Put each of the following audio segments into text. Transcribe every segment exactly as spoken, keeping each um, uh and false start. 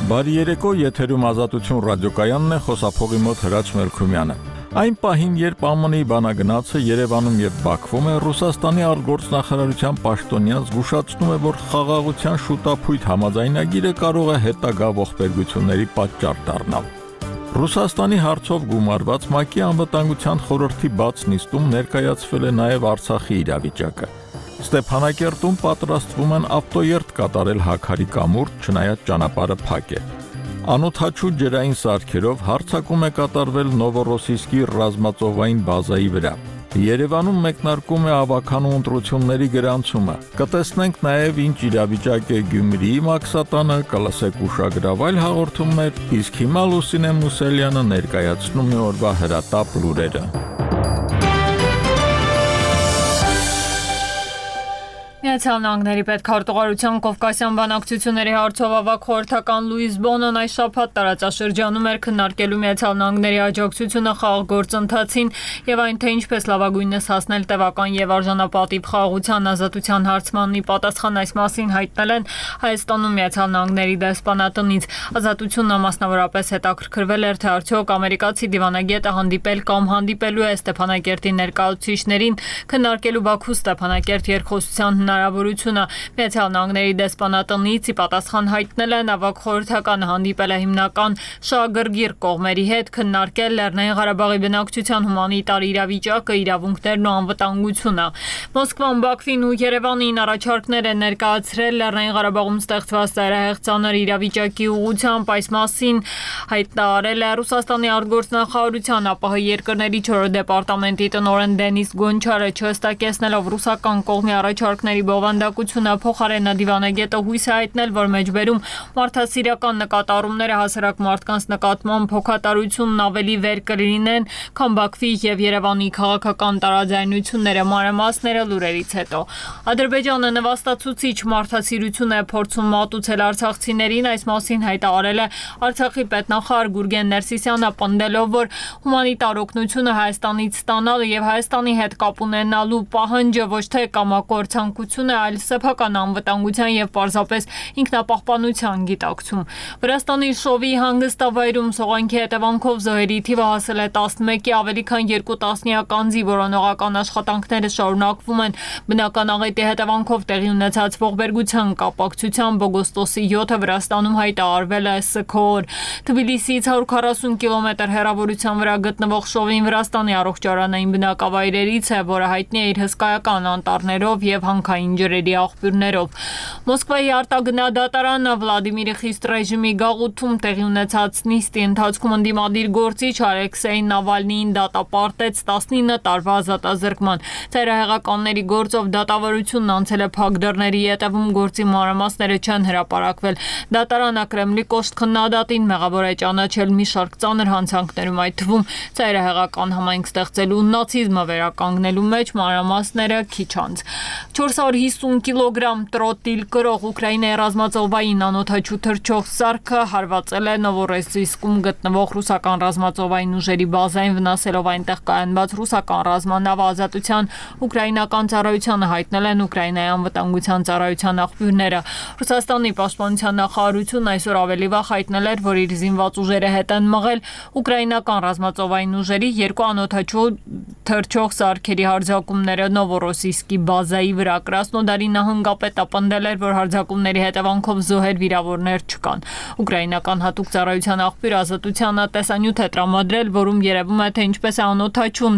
Բարի երեկո, եթերում Ազատություն ռադիոկայանն է, խոսափողի մոտ Հրաչ Մելքումյանը։ Այն պահին, երբ ԱՄՆ-ի բանագնացը Երևանում եւ Բաքվում է, Ռուսաստանի արտգործնախարարության պաշտոնյան զգուշացնում է, որ խաղաղության շուտափույթ համաձայնագիրը կարող է հետագա ողբերգությունների պատճառ դառնալ։ Ռուսաստանի հարցով գումարված ՄԱԿ-ի անվտանգության խորհրդի բաց նիստում ներկայացվել է նաեւ Արցախի իրավիճակը։ Ստեփանակերտում պատրաստվում են ավտոերթ կատարել Հաքարի կամուրջ, չնայած ճանապարհը փակ է։ Անօդաչու ջրային սարքերով հարձակում է կատարվել Նովորոսիսկի ռազմածովային բազայի վրա։ Երևանում մեկնարկում է ավականու ընտրությունների գրանցումը։ Կտեսնենք նաև ինչ իրավիճակ է Գյումրիի Մաքսատանը, կլսեք ուշագրավայր հաղորդումներ, իսկ հիմա Լուսինե Մուսելյանը ներկայացնում է օրվա հրատապ լուրերը։ Միացյալ Նահանգների պետքարտուղարության Կովկասյան բանակցությունների հարցով ավագ խորհրդական Լուիս Բոնոն այս շաբաթ տարածաշրջանում էր քննարկելու Միացյալ Նահանգների աջակցությունը խաղաղ գործընթացին եւ այն, թե ինչպես լավագույնս հասնել տևական եւ արժանապատիվ խաղաղության ազատության հարցմանն ի պատասխան այս մասին հայտնել են Հայաստանում Միացյալ Նահանգների դեսպանատնից։ Ազատությունն մասնավորապես հետաքրքրվել էր, թե արդյոք ամերիկացի դիվանագետը հանդիպել կամ հանդիպելու է Ստեփանակերտի ներկայացուցիչներին քննարկելու Բաքու Ստեփանակերտ երկխոսության հնարավորությունը։ Միացյալ Նահանգների դեսպանատնից ի պատասխան հայտնել են ավագ խորհրդականը հանդիպել է հիմնական շահագրգիռ կողմերի հետ քննարկել Լեռնային Ղարաբաղի բնակչության հումանիտար իրավիճակը, իրավունքներն ու անվտանգությունը։ Մոսկվան Բաքվին ու Երևանին առաջարկներ են ներկայացրել Լեռնային Ղարաբաղում ստեղծված ծայրահեղ ծանր իրավիճակի ուղղությամբ։ Այս մասին հայտարարել է Ռուսաստանի արտգործնախարարության ԱՊՀ երկրների չորրորդ դեպարտամենտի տնօրեն Դենիս Գոնչարը, չհստակեցնելով ռուսական կողմի առաջարկների բովանդակությունը, փոխարենը դիվանագետը հույս է հայտնել, որ մեջբերում մարդասիրական նկատառումները հասարակ մարդկանց նկատմամբ հոգատարությունն ավելի վեր կլինեն, քան Բաքվի եւ Երևանի քաղաքական տարաձայնությունները։ Մանրամասները լուրերից հետո։ Ադրբեջանը նվաստացուցիչ մարդասիրություն է փորձում մատուցել արցախցիներին, այս մասին հայտարարել է Արցախի պետնախարար Գուրգեն Ներսիսյանը, պնդելով, որ հումանիտար օգնությունը Հայաստանից ստանալը եւ Հայաստանի հետ կապ ունենալու պահանջը ոչ թե կամակոր ցանկություն է, այլ սեփական անվտանգության եւ պարզապես ինքնապահպանության գիտակցում։ Վրաստանի Շովի հանգստավայրում սողանքի հետևանքով զոհերի թիվը հասել է տասնմեկի, ավելի քան երկու տասնյակ անձի որոնողական աշխատանքները շարունակվում են։ Բնական աղետի հետևանքով տեղի ունեցած ողբերգության կապակցությամբ օգոստոսի յոթը Վրաստանում հայտարարվել է սգոր։ Թբիլիսիից հարյուր քառասուն կիլոմետր հեռավորության վրա գտնվող Շովին Վրաստանի առողջարանային բնակավայրերից է, որը հայտնի է իր հսկայական անտառներով եւ հանքային ջրերի աղբյուրներով։ Մոսկվայի արտագնահատարանը Վլադիմիրի խիստ ռեժիմի գաղութում տեղի ունեցած նիստի ընթացքում ընդդիմադիր գործիչ Ալեքսեյ Նավալնիին դատապարտեց տասնինը տարվա ազատազրկման։ Ծայրահեղականների գործով դատավարությունն անցել է փակ դռների ետևում, գործի մանրամասները չեն հրապարակվել։ Դատարանը Կրեմլի կոշտ քննադատին մեղավոր է ճանաչել մի շարք ծանր հանցանքներում, այդ թվում ծայրահեղական համայնք ստեղծելու, նացիզմը վերականգնելու մեջ, մանրամասները քիչ անց։ չորս հարյուր հիսուն կիլոգրամ տրոտիլ կրող Ուկրաինայի ռազմածովային անօդաչու թռչող սարքը հարվածել է Նովորոսիսկում գտնվող ռուսական ռազմածովային ուժերի բազային, վնասելով այնտեղ կայանված ռուսական ռազմանավը։ Ազատության ուկրաինական ծառայությանը հայտնել են Ուկրաինայի անվտանգության ծառայության աղբյուրները։ Ռուսաստանի պաշտպանության նախարարությունն այսօր ավելի վաղ հայտնել էր, որ իր զինված ուժերը հետ են մղել ուկրաինական ռազմածովային ուժերի երկու անօդաչու թռչող սարքերի հարձակումները Նովորոսիսկի բազայի վրա։ Կրասնոդարի նահանգապետը պնդել էր, որ հարձակումների հետևանքով զոհեր, վիրավորներ չկան։ Ուկրաինական հատուկ ծառայության աղբյուր Ազատությանը տեսանյութ է տրամադրել, որում երևում է, թե ինչպես է անօդաչուն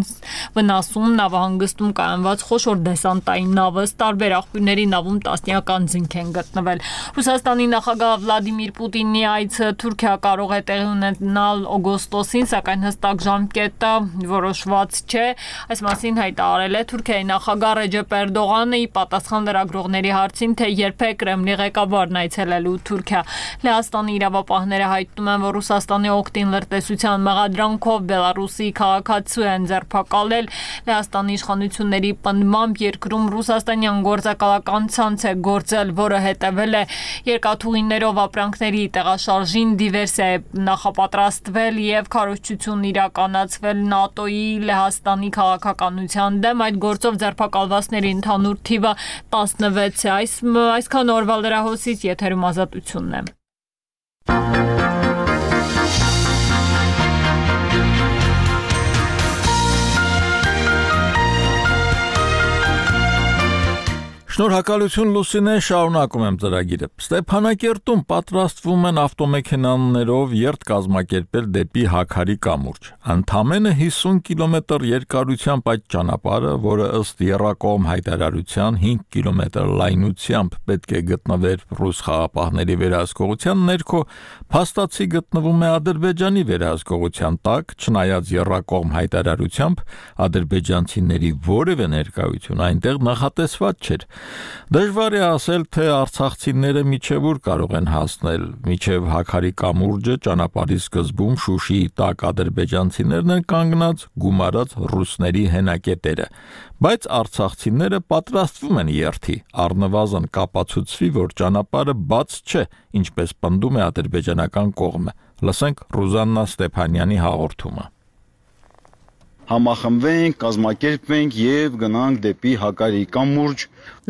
վնասում նավահանգստում կայանված խոշոր դեսանտային նավը։ Տարբեր աղբյուրների նավում տասնյակ անձինք են գտնվել։ Ռուսաստանի նախագահ Վլադիմիր Պուտինի այցը Թուրքիա կարող է տեղի ունենալ օգոստոսին, սակայն հստակ ժամկետը որոշված չէ։ Այս մասին հայտարարել է Թուրքիայի նախագահ Ռեջեփ Էրդողանը ի պատասխան լրագրողների հարցին, թե երբ է Կրեմլի ղեկավարն այցելելու Թուրքիա։ Լեհաստանի իրավապահները հայտնում են, որ Ռուսաստանի օգտին լրտեսության մեղադրանքով Բելարուսի քաղաքացու են ձերբակալել։ Լեհաստանի իշխանությունների պնդմամբ երկրում ռուսաստանյան գործակալական ցանց է գործել, որը հետևել է երկաթուղիներով ապրանքների տեղաշարժին, դիվերսիա է նախապատրաստվել եւ քարոզչություն իրականացվել ՆԱՏՕ-ի Լեհաստանի քաղաքականության դեմ։ Այդ գործով ձերբակալվածների ընդհանուր թիվը տասնվեց է։ Այս այսքան օրվա լրահոսից եթերում Ազատությունն է։ Շնորհակալություն Լուսինե, շարունակում եմ ծրագիրը։ Ստեփանակերտում պատրաստվում են ավտոմեքենաներով երթ կազմակերպել դեպի Հաքարի կամուրջ։ Ընդամենը հիսուն կիլոմետր երկարությամբ այդ ճանապարհը, որը ըստ եռակողմ հայտարարության հինգ կիլոմետր լայնությամբ պետք է գտնվեր ռուս խաղապահների վերահսկողության ներքո, փաստացի գտնվում է Ադրբեջանի վերահսկողության տակ, չնայած եռակողմ հայտարարությամբ ադրբեջանցիների որևէ ներկայություն այնտեղ նախատեսված չէր։ Դժվար է ասել, թե արցախցիները միջև ուր կարող են հասնել, միջև Հաքարի կամուրջը ճանապարհի սկզբում Շուշիի տակ ադրբեջանցիներն են կանգնած գումարած ռուսների հենակետերը, բայց արցախցիները պատրաստվում են երթի, առնվազն կապացուցվի, որ ճանապարհը բաց չէ, ինչպես պնդում է ադրբեջանական կողմը։ Լսենք Ռուզաննա Ստեփանյանի հաղորդումը։ Համախմբվենք, կազմակերպվենք եւ գնանք դեպի Հակարի կամուրջ։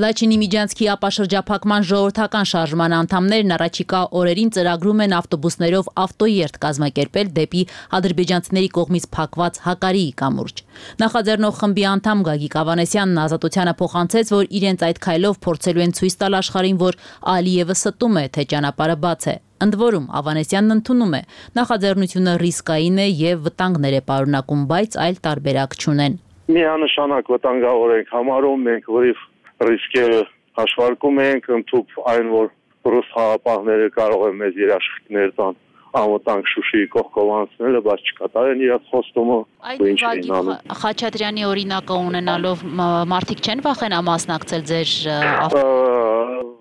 Լաչինի Միջանցքի ապաշրջափակման ժողովրդական շարժման անդամներն առաջիկա օրերին ծրագրում են ավտոբուսներով ավտոերթ կազմակերպել դեպի ադրբեջանցիների կողմից փակված Հակարի կամուրջ։ Նախաձեռնող խմբի անդամ Գագիկ Ավանեսյանն Ազատությանը փոխանցեց, որ իրենց այդ քայլով փորձելու են ցույց տալ աշխարհին, որ Ալիևը ստում է, թե ճանապարհը բաց է։ Ընդ որում Ավանեսյանն ընդունում է, նախաձեռնությունը ռիսկային է եւ վտանգներ է պարունակում, բայց այլ տարբերակ չունեն։ Միանշանակ վտանգավոր ենք համարում, մենք որիվ ռիսկերը հաշվարկում ենք, ընդཐུպ այն, որ ռուս խաղապահները կարող են մեզ երաշխիքներ տան անվտանգ Շուշիի կողքով անցնելը, բայց չկատարեն իրաց խոստումը։ Այդ Վագիվ Խաչատրյանի օրինակը ունենալով մարդիկ չեն վախենա մասնակցել ձեր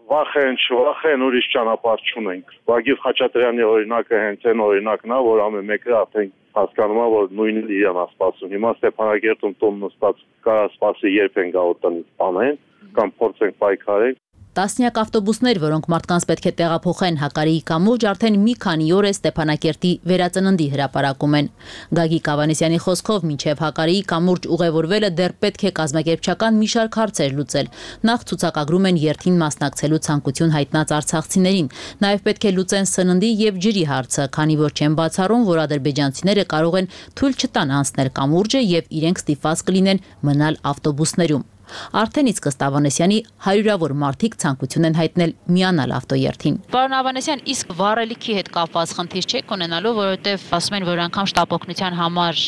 Վախեն, չվախեն, ուրիշ ճանապարհ չունենք։ Վագիվ Խաչատրյանի օրինակը հենց այն օրինակն է, որ ամեն մեկը արդեն հասկանում է, որ նույնն իրան է սպասում։ Հիմա Ստեփանակերտում տուն նստած կարա սպասի, երբ են գա տնից տանեն, կամ փորձենք պայքարել։ Տասնյակ ավտոբուսներ, որոնք մարդկանց պետք է տեղափոխեն Հակարի կամուրջ, արդեն մի քանի օր է Ստեփանակերտի վերածննդի հրապարակում են։ Գագիկ Ավանեսյանի խոսքով մինչև Հակարի կամուրջ ուղևորվելը դեռ պետք է կազմակերպչական մի շարք հարցեր լուծել։ Նախ ցուցակագրում են երթին մասնակցելու ցանկություն հայտնած արցախցիներին։ Նաև պետք է լուծեն սննդի եւ ջրի հարցը, քանի որ չեն բացառում, որ ադրբեջանցիները կարող են թույլ չտան անցնել կամուրջը եւ իրենք ստիպված կլինեն մնալ ավտոբուսներում։ Արդեն իսկ ըստ Ավանեսյանի հարյուրավոր մարդիկ ցանկություն են հայտնել միանալ ավտոերթին։ Պարոն Ավանեսյան, իսկ վառելիքի հետ կապված խնդիր չեք ունենալու, որովհետև ասում են, որ անգամ շտապօգնության համար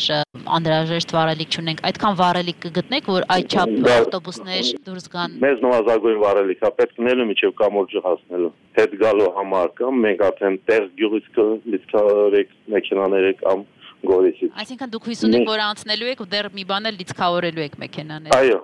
անհրաժեշտ վառելիք չունենք։ Այդքան վառելիք կգտնեք, որ այդչափ ավտոբուսներ դուրս գան։ Մեզ նվազագույն վառելիք է պետք լինելու միջև կամուրջը հասնելու։ Հետ գալու համար կամ մենք արդեն տեղ գյուղից լիցքավորեք մեքենաները կամ Գորիսից։ Այսինքն դուք հույս ունեք, որ անցնելու եք ու դեռ մի բան էլ լիցքավորելու եք մեքենաները։ Այո,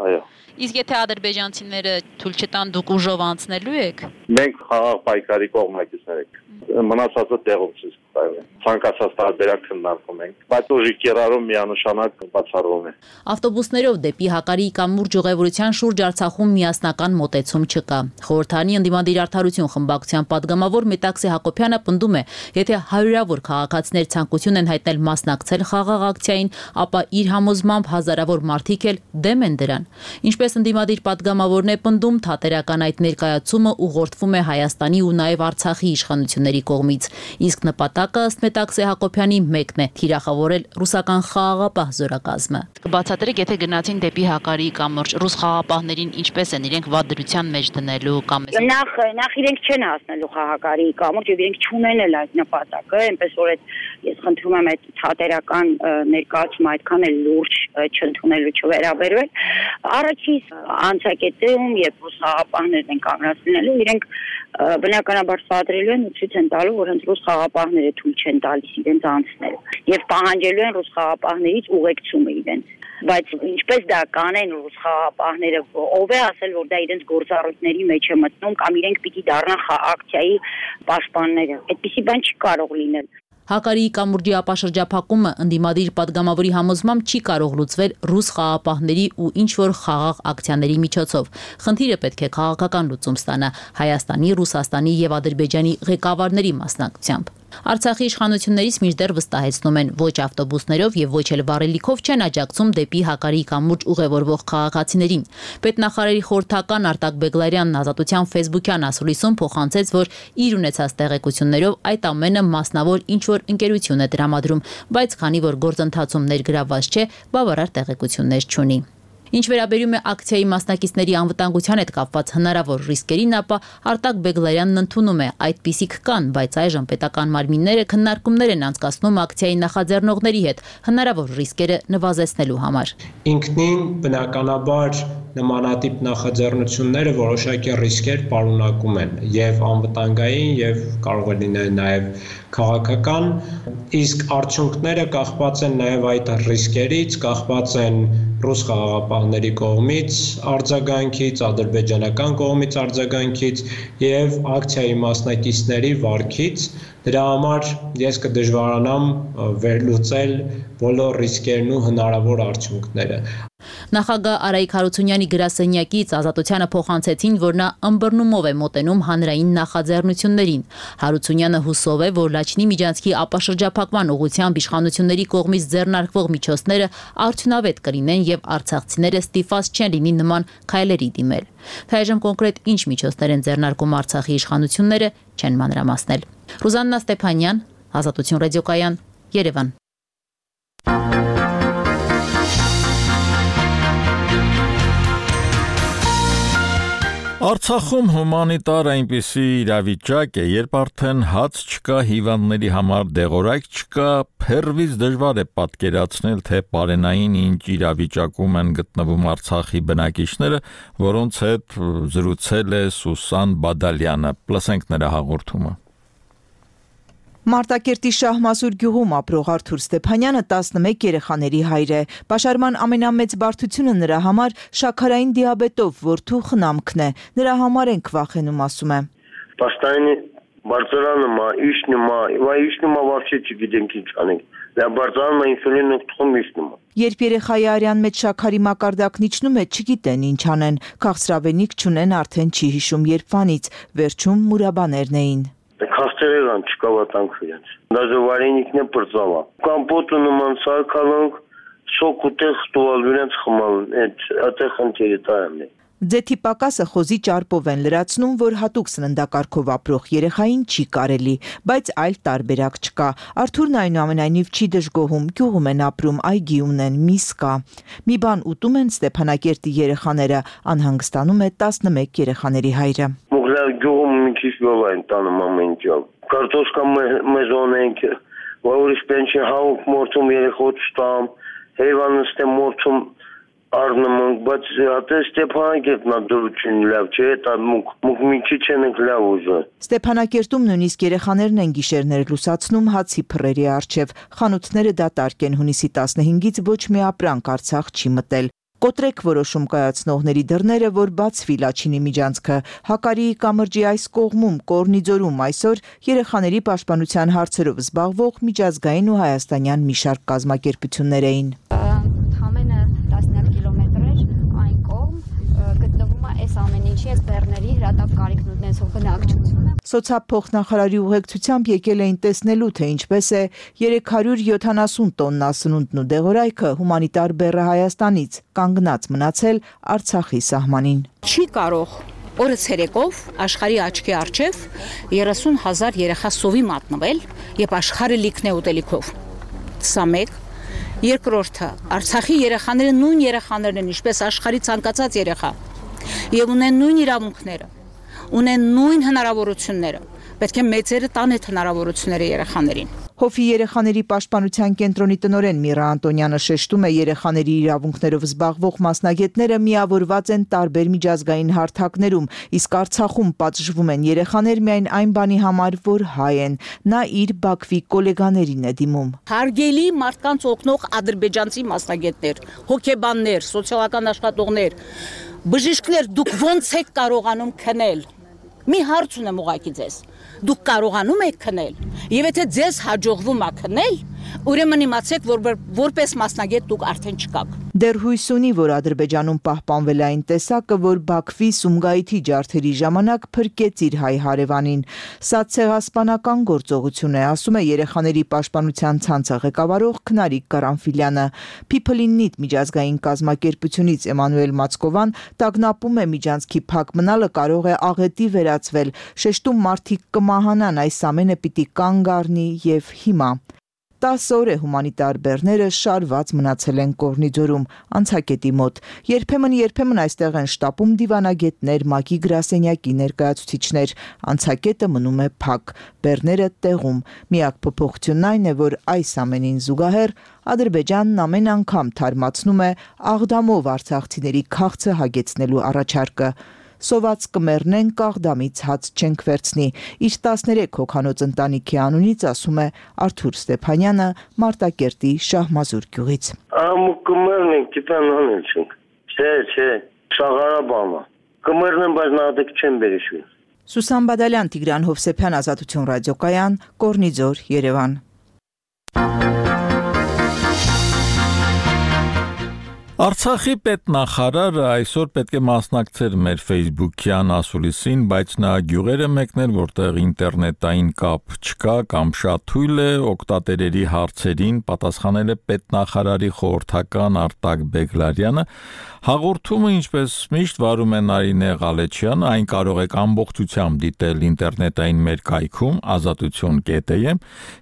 այո։ Իսկ եթե ադրբեջանցիները թույլ չտան, դուք ուժով անցնելու եք։ Մենք խաղաղ պայքարի կողմնակիցներ ենք։ Մնացածը տեղում ցույց կտայվի։ Ցանկացած տարբերակ քննարկում ենք, բայց ուժի կիրառում միանշանակ բացառվում է։ Ավտոբուսներով դեպի Հակարի կամուրջ ուղևորության շուրջ Արցախում միասնական մոտեցում չկա։ Խորհրդանի ընդդիմադիր արդարություն խմբակցության падգամավոր Մետաքսի Հակոբյանը պնդում է, եթե հարյուրավոր քաղաքացիներ ցանկություն են հայտնել մասնակցել խաղաղ ակցիային, ապա իր համոզմամբ հազարավոր մարդիկ էլ դեմ են դրան։ Ինչպես ընդդիմադիր падգամավորն է պնդում, թատերական այդ ներկայացումը ուղղորդվում է Հայաստանի ու նաև Արցախի իշխանությունների կողմից, իսկ նպատակը ըստ Մետաքսի Հակոբյանի մեկն է՝ թիրախավորել ռուսական խաղաղապահ զորակազմը։ Կբացատրեք, եթե գնացին դեպի Հակարի կամուրջ, ռուս խաղաղապահներին ինչպես են իրենք վատ դրության մեջ դնելու կամ Նախ նախ իրենք չեն հասնելու Հակարի կամուրջ եւ իրենք չունեն էլ այդ նպատակը, այնպես որ այդ ես խնդրում եմ այդ թատերական ներկայացումը այդքան էլ լուրջ չընդունելու չվերաբերվել։ Առաջին անցակետում, երբ ռուս խաղաղապահներն են կանգնած լինելու, իրենք բնականաբար սադրելու են ու ցույց են տալու, որ հենց ռուս խաղաղապահները թույլ չեն տալիս իրենց անցնել եւ պահանջելու են ռուս խաղաղապահներից ուղեկցումը իրենց։ Բայց ինչպես դա կանեն ռուս խաղաղապահները, ով է ասել, որ դա իրենց գործառույթների մեջ է մտնում կամ իրենք պիտի դառնան ակցիայի պաշտպանները։ Այդպիսի բան չի կարող լինել։ Հակարի կամուրջի ապաշրջափակումը ընդդիմադիր падգամավորի համոզմամբ չի կարող լուծվել ռուս խաղաղապահների ու ինչ-որ խաղաղ ակցիաների միջոցով։ Խնդիրը պետք է քաղաքական լուծում ստանա Հայաստանի, Ռուսաստանի եւ Ադրբեջանի ղեկավարների մասնակցությամբ։ Արցախի իշխանություններից մինչդեռ վստահեցնում են, ոչ ավտոբուսներով եւ ոչ էլ վառելիքով չեն աջակցում դեպի Հակարի կամուրջ ուղևորվող քաղաքացիներին։ Պետնախարարի խորհրդական Արտակ Բեգլարյանն Ազատության Facebook-յան ասուլիսում փոխանցեց, որ իր ունեցած տեղեկություններով այդ ամենը մասնավոր ինչ-որ ընկերություն է տրամադրում, բայց քանի որ գործընթացում ներգրավված չէ, բավարար տեղեկություններ չունի։ Ինչ վերաբերում է ակցիայի մասնակիցների անվտանգության հետ կապված հնարավոր ռիսկերին, ապա Արտակ Բեգլարյանն ընդունում է այդպիսիք կան, բայց այժմ պետական մարմինները քննարկումներ են անցկացնում ակցիայի նախաձեռնողների հետ հնարավոր ռիսկերը նվազեցնելու համար։ Ինքնին բնականաբար նմանատիպ նախաձեռնությունները որոշակի ռիսկեր պարունակում են եւ անվտանգային եւ կարող է լինել նաեւ քաղաքական, իսկ արդյունքները կախված են նաեւ այդ ռիսկերից, կախված են ռուս խաղաղապահների կողմից արձագանքից, ադրբեջանական կողմից արձագանքից եւ ակցիայի մասնակիցների վարքից։ Դրա համար ես կդժվարանամ վերլուծել բոլոր ռիսկերն ու հնարավոր արդյունքները։ Նախագահ Արայիկ Հարությունյանի գրասենյակից Ազատությանը փոխանցեցին, որ նա ըմբռնումով է մոտենում հանրային նախաձեռնություններին։ Հարությունյանը հուսով է, որ Լաչինի միջանցքի ապաշրջափակման ուղղությամբ իշխանությունների կողմից ձեռնարկվող միջոցները արդյունավետ կլինեն եւ արցախցիները ստիպված չեն լինի նման քայլերի դիմել։ Թե այժմ կոնկրետ ինչ միջոցներ են ձեռնարկում Արցախի իշխանությունները, չեն մանրամասնել։ Ռուզաննա Ստեփանյան, Ազատություն ռադիոկայան, Երևան։ Արցախում հումանիտար այնպիսի իրավիճակ է, երբ արդեն հաց չկա, հիվանդների համար դեղորայք չկա, փեռվից դժվար է պատկերացնել, թե պարենային ինչ իրավիճակում են գտնվում Արցախի բնակիչները, որոնց հետ զրուցել է Սուսան Բադալյանը։ Լսենք նրա հաղորդումը։ Մարտակերտի Շահմասուր գյուղում ապրող Արթուր Ստեփանյանը տասնմեկ երեխաների հայր է։ Պաշարման ամենամեծ բարդությունը նրա համար շաքարային դիաբետով որդու խնամքն է։ Նրա համար ենք վախենում, ասում է։ Պաստայնի բարձրանում է, իշնում է, վայ իշնում է вообще չգիտենք ինչ անենք։ Դա բարձրանում է ինսուլին ուղղում իշնում է։ Երբ երեխայի արյան մեջ շաքարի մակարդակն իջնում է, չգիտեն ինչ անեն։ Քաղցրավենիք չունեն, արդեն չի հիշում երբվանից։ Վերջում մուրաբաներն էին։ Քաստերան չկավատանք իրենց։ Դաժե վարենիքն է բրծավա։ Կամպոտը նման սարքալոնք, սոկ ու տեղ տուալ իրենց խմալ, այդ այդեղ խնդիրը տայամն է։ Ձեթի պակասը խոզի ճարպով են լրացնում, որ հատուկ սննդակարգով ապրող երեխային չի կարելի, բայց այլ տարբերակ չկա։ Արթուրն այնուամենայնիվ չի դժգոհում, գյուղում են ապրում, այգի ունեն, միս կա։ Մի բան ուտում են Ստեփանակերտի երեխաները, անհանգստանում է տասնմեկ երեխաների հայրը։ Գյուղում մի քիչ գով են տանում ամեն ինչ։ Կարտոշկա մեզոն ենք, որիշ պենչի հաուկ մորթում երեխոց տամ, հեվանս թե մորթում առնում ենք, բայց հատե Ստեփանակերտն է դրություն լավ չէ, դա մուկ մի քիչ ենք լավ ուժը։ Ստեփանակերտում նույնիսկ երեխաներն են գիշերներ լուսացնում հացի փռերի առջև։ Խանութները դատարկ են, հունիսի տասնհինգից ոչ մի ապրանք Արցախ չի մտել։ Կոտրեք որոշում կայացնողների դռները, որ բացվի Լաչինի միջանցքը։ Հակարիի կամրջի այս կողմում, Կորնիձորում այսօր երեխաների պաշտպանության հարցերով զբաղվող միջազգային ու հայաստանյան մի շարք կազմակերպություններ էին։ Համենը տասնյակ կիլոմետրեր այն կողմ գտնվում է այս ամեն ինչի այս բեռների հրատապ կարիքն ունեցող բնակչությունը։ Սոցիալփոխնախարարի ուղեկցությամբ եկել էին տեսնելու, թե ինչպես է երեք հարյուր յոթանասուն տոննա սնունդն ու դեղորայքը հումանիտար բեռը Հայաստանից կանգնած մնացել Արցախի սահմանին։ Չի կարող օրը ցերեկով աշխարհի աչքի առջև երեսուն հազար երեխա սովի մատնվել, եւ աշխարհը լիքն է ուտելիքով։ Սա մեկ։ Երկրորդը, Արցախի երեխաները նույն երեխաներն են, ինչպես աշխարհի ցանկացած երեխա, եւ ունեն նույն իրավունքները, ունեն նույն հնարավորությունները։ Պետք է մեծերը տան այդ հնարավորությունները երեխաներին։ Հոֆի երեխաների պաշտպանության կենտրոնի տնօրեն Միրա Անտոնյանը շեշտում է, երեխաների իրավունքներով զբաղվող մասնագետները միավորված են տարբեր միջազգային հարթակներում, իսկ Արցախում պատժվում են երեխաներ միայն այն բանի համար, որ հայ են։ Նա իր Բաքվի գոլեգաներին է դիմում։ Հարգելի մարդկանց օգնող ադրբեջանցի մասնագետներ, հոգեբաններ, սոցիալական աշխատողներ, բժիշկներ, դուք ո՞նց եք կարողանում քնել։ Մի հարց ունեմ ուղղակի ձեզ։ Դուք կարողանում եք քնել, եւ եթե ձեզ հաջողվում է քնել, ուրեմն իմացեք, որ որպես մասնագետ դուք արդեն չկաք։ Դեռ հույս ունի, որ Ադրբեջանում պահպանվել է այն տեսակը, որ Բաքվի Սումգայիթի ջարդերի ժամանակ փրկեց իր հայ հարևանին։ Սա ցեղասպանական գործողություն է, ասում է երեխաների պաշտպանության ցանցը ղեկավարող Քնարիկ Կարամֆիլյանը։ People in Need միջազգային կազմակերպությունից Էմանուել Մացկովան տագնապում է միջանցքի փակ մնալը կարող է աղետի վերածվել, շեշտում մարդիկ կմահանան, այս ամենը պիտի կանգ առնի եւ հիմա։ տասը օր է հումանիտար բեռները շարված մնացել են Կորնիձորում, անցակետի մոտ։ Երբեմն-երբեմն այստեղ են շտապում դիվանագետներ, ՄԱԿ-ի գրասենյակի ներկայացուցիչներ։ Անցակետը մնում է փակ, բեռները տեղում։ Միակ փոփոխությունն այն է, որ այս ամենին զուգահեռ Ադրբեջանն ամեն անգամ թարմացնում է Աղդամով արցախցիների քաղցը հագեցնելու առաջարկը։ Սոված կմեռնենք, Աղդամից հաց չենք վերցնի։ Իր տասներեք հոգանոց ընտանիքի անունից ասում է Արթուր Ստեփանյանը Մարտակերտի Շահմազուր գյուղից։ Ամ կմեռնենք, դիտան անել չենք։ Չէ, չէ, շաղարաբամա։ Կմեռնեմ, բայց նադեք չեմ բերիշվի։ Սուսան Բադալյան, Տիգրան Հովսեփյան, Ազատություն ռադիոկայան, Կորնիձոր, Երևան։ Արցախի պետնախարարը այսօր պետք է մասնակցեր մեր Facebook-յան ասուլիսին, բայց նա գյուղերը մեկներ, որտեղ ինտերնետային կապ չկա կամ շատ թույլ է, օգտատերերի հարցերին պատասխանել է պետնախարարի խորհրդական Արտակ Բեգլարյանը։ Հաղորդումը, ինչպես միշտ վարում է Նարինե Ղալեչյանը, այն կարող եք ամբողջությամբ դիտել ինտերնետային մեր կայքում ազատություն կետ է։